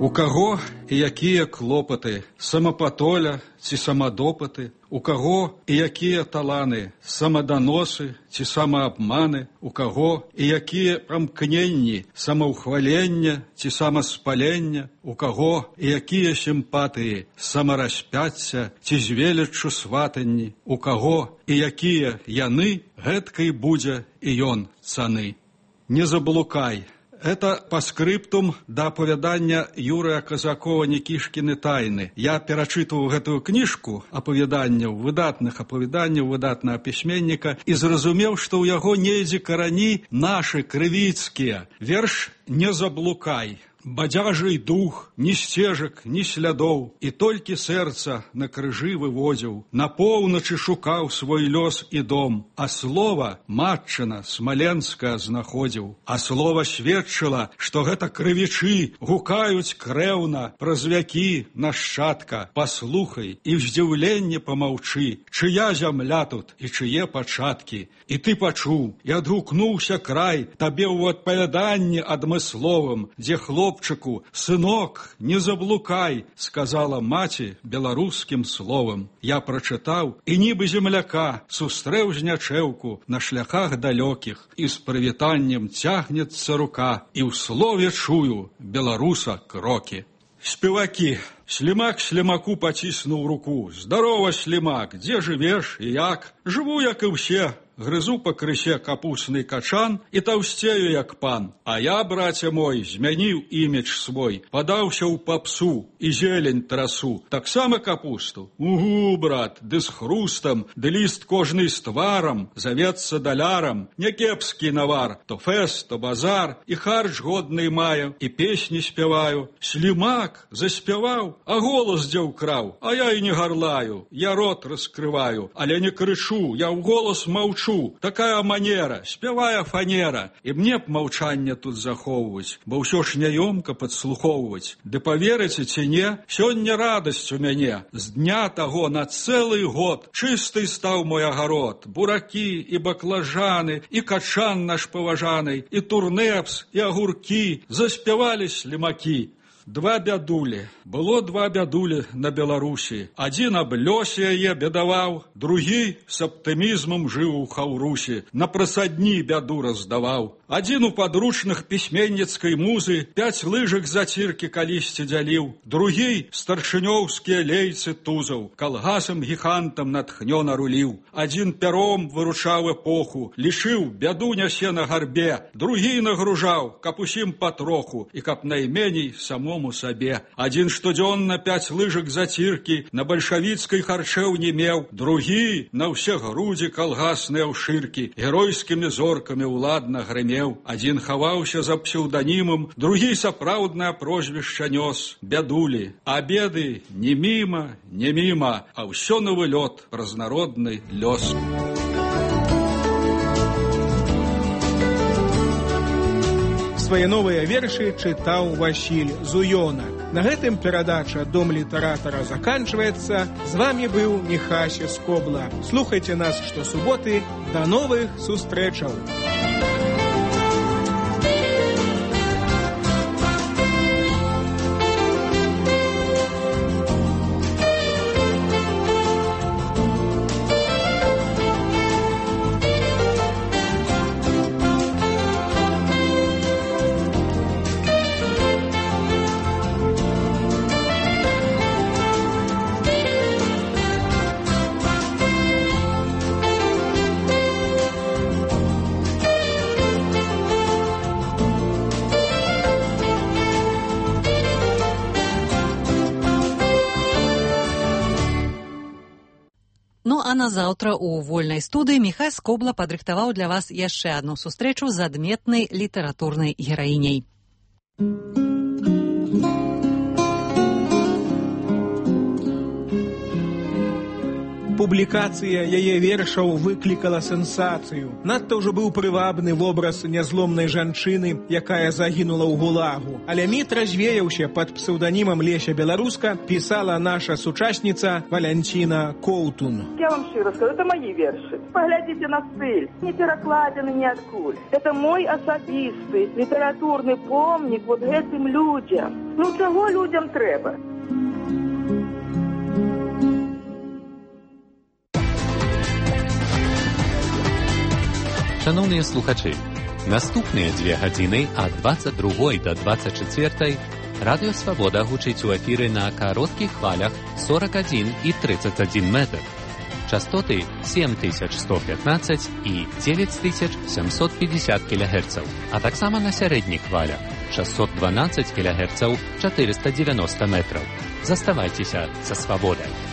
У каго і якія клопаты, самапатоля ці самадопаты, у каго і якія таланы, самаданосы ці самаабманы, у каго і якія прамкненні, самаўхвалення ці самаспалення, у каго і якія сімпатыі, самараспяцця ці з веліччу сватанні, у каго і якія яны, гэткай будзе і ён цаны. Не заблукай. Это по скриптум да апавядання Юрыя Казакова «Никішкіны тайны». Я перачытваў гэтую кніжку апавяданняў, выдатных апавяданняў, выдатнага пісьменніка і зразумеў, што ў яго недзе карані нашы крывіцкія. Верш «Не заблукай». Бадзяжий дух, ні сцежак, ні слядоў, і толькі сэрца на крыжы выводзіў, на поўначы шукаў свой лёс і дом, а слова матчына смаленская знаходзіў, а слова сведчыла, што гэта крывічы гукаюць крэўна праз вякі нашчадка. Паслухай і в здзіўленне помаўчы, чыя зямля тут і чые пачаткі. І ты пачуў, і адгукнуўся край табе ў адпавяданні адмысловым, дзе хлопчыку, сынок, не заблукай, сказала маці беларускім словам. Я прачытаў, і нібы земляка сустрэў знячэўку на шляхах далёкіх, і з прывітаннем цягнецца рука, і ў слове чую беларуса крокі. Спевакі. Слімак слімаку паціснуў руку. Здарова, слімак, дзе жывеш і як? Жыву, як і ўсе. Грызу па крысе капусны качан і таўсцею, як пан. А я, браце мой, змяніў імідж свой, падаўся ў папсу і зелень трасу. Таксама капусту? Угу, брат, ды з хрустам, ды ліст кожны з тварам, завецца далярам. Някепскі навар, то фэст, то базар, і харч годны маю, і песні спяваю. Слімак заспяваў, а голас дзе ўкраў, а я і не гарлаю, я рот раскрываю, але не крычу, я ў голас маўчу. Такая манера, спявая фанера, і мне б маўчанне тут захоўваць, бо ўсё ж няёмка падслухоўваць. Ды паверыце ці не, сёння радасць у мяне. З дня таго на цэлы год чысты стаў мой агарод. Буракі і баклажаны, і качан наш паважаны, і турнепс, і агуркі заспявалі слімакі. Два бядулі. Было два бядулі на Беларусі. Адзін аб лёсе яе бедаваў, другі з аптымізмам жыў у хаўрусі, на прасадні бяду раздаваў. Адзін у падручных пісьменніцкай музы 5 лыжак заціркі калісьці дзяліў, другі старшынёўскія лейцы тузаў, калгасам гігантам натхнёна руліў. Адзін пяром выручаў эпоху, лічыў, бяду нясе на гарбе, другі нагружаў, каб усім патроху і каб найменей самому сабе. Адзін штодзённа 5 лыжак заціркі на бальшавіцкай харчэў не меў, другі на ўсе грудзі калгасныя ўшыркі геройскімі зоркамі ўладна грымеў. Адзін хаваўся за псеўданімам, другі сапраўднае прозвішча нёс, бядулі. А беды не міма, а ўсё новы лёд, разнародны лёс. Свае новыя вершы чытаў Васіль Зуёнак. На гэтым перадача «Дом літаратара» заканчваецца. З вамі быў Міхася Скобла. Слухайце нас штосуботы. Да новых сустрэчаў! Ну а назаўтра у вольнай студыі Міхась Скобла падрыхтаваў для вас яшчэ адну сустрэчу з адметнай літаратурнай гераіняй. Публікацыя яе вершаў выклікала сенсацыю. Надта ўжо быў прывабны вобраз нязломнай жанчыны, якая загінула ў гулагу. Але міт развеяўся пад псеўданімам Леся Беларуска, пісала наша сучасніца Валянціна Коўтун. Я вам шчыра скажу, это мои вершы. Поглядзіце на стыль, не перакладзены ніадкуль. Это мой асабісты літаратурны помнік вот гэтым людзям. Ну чаго людзям трэба? Шановныя слухачы, наступныя 2 гадзіны ад 22 до 24 Радыё Свабода гучыць у эфіры на кароткіх хвалях 41 і 31 метр. Частоты 7115 і 9750 кГц, а таксама на сярэдніх хвалях 612 кГц 490 метраў. Заставайцеся са Свабодай.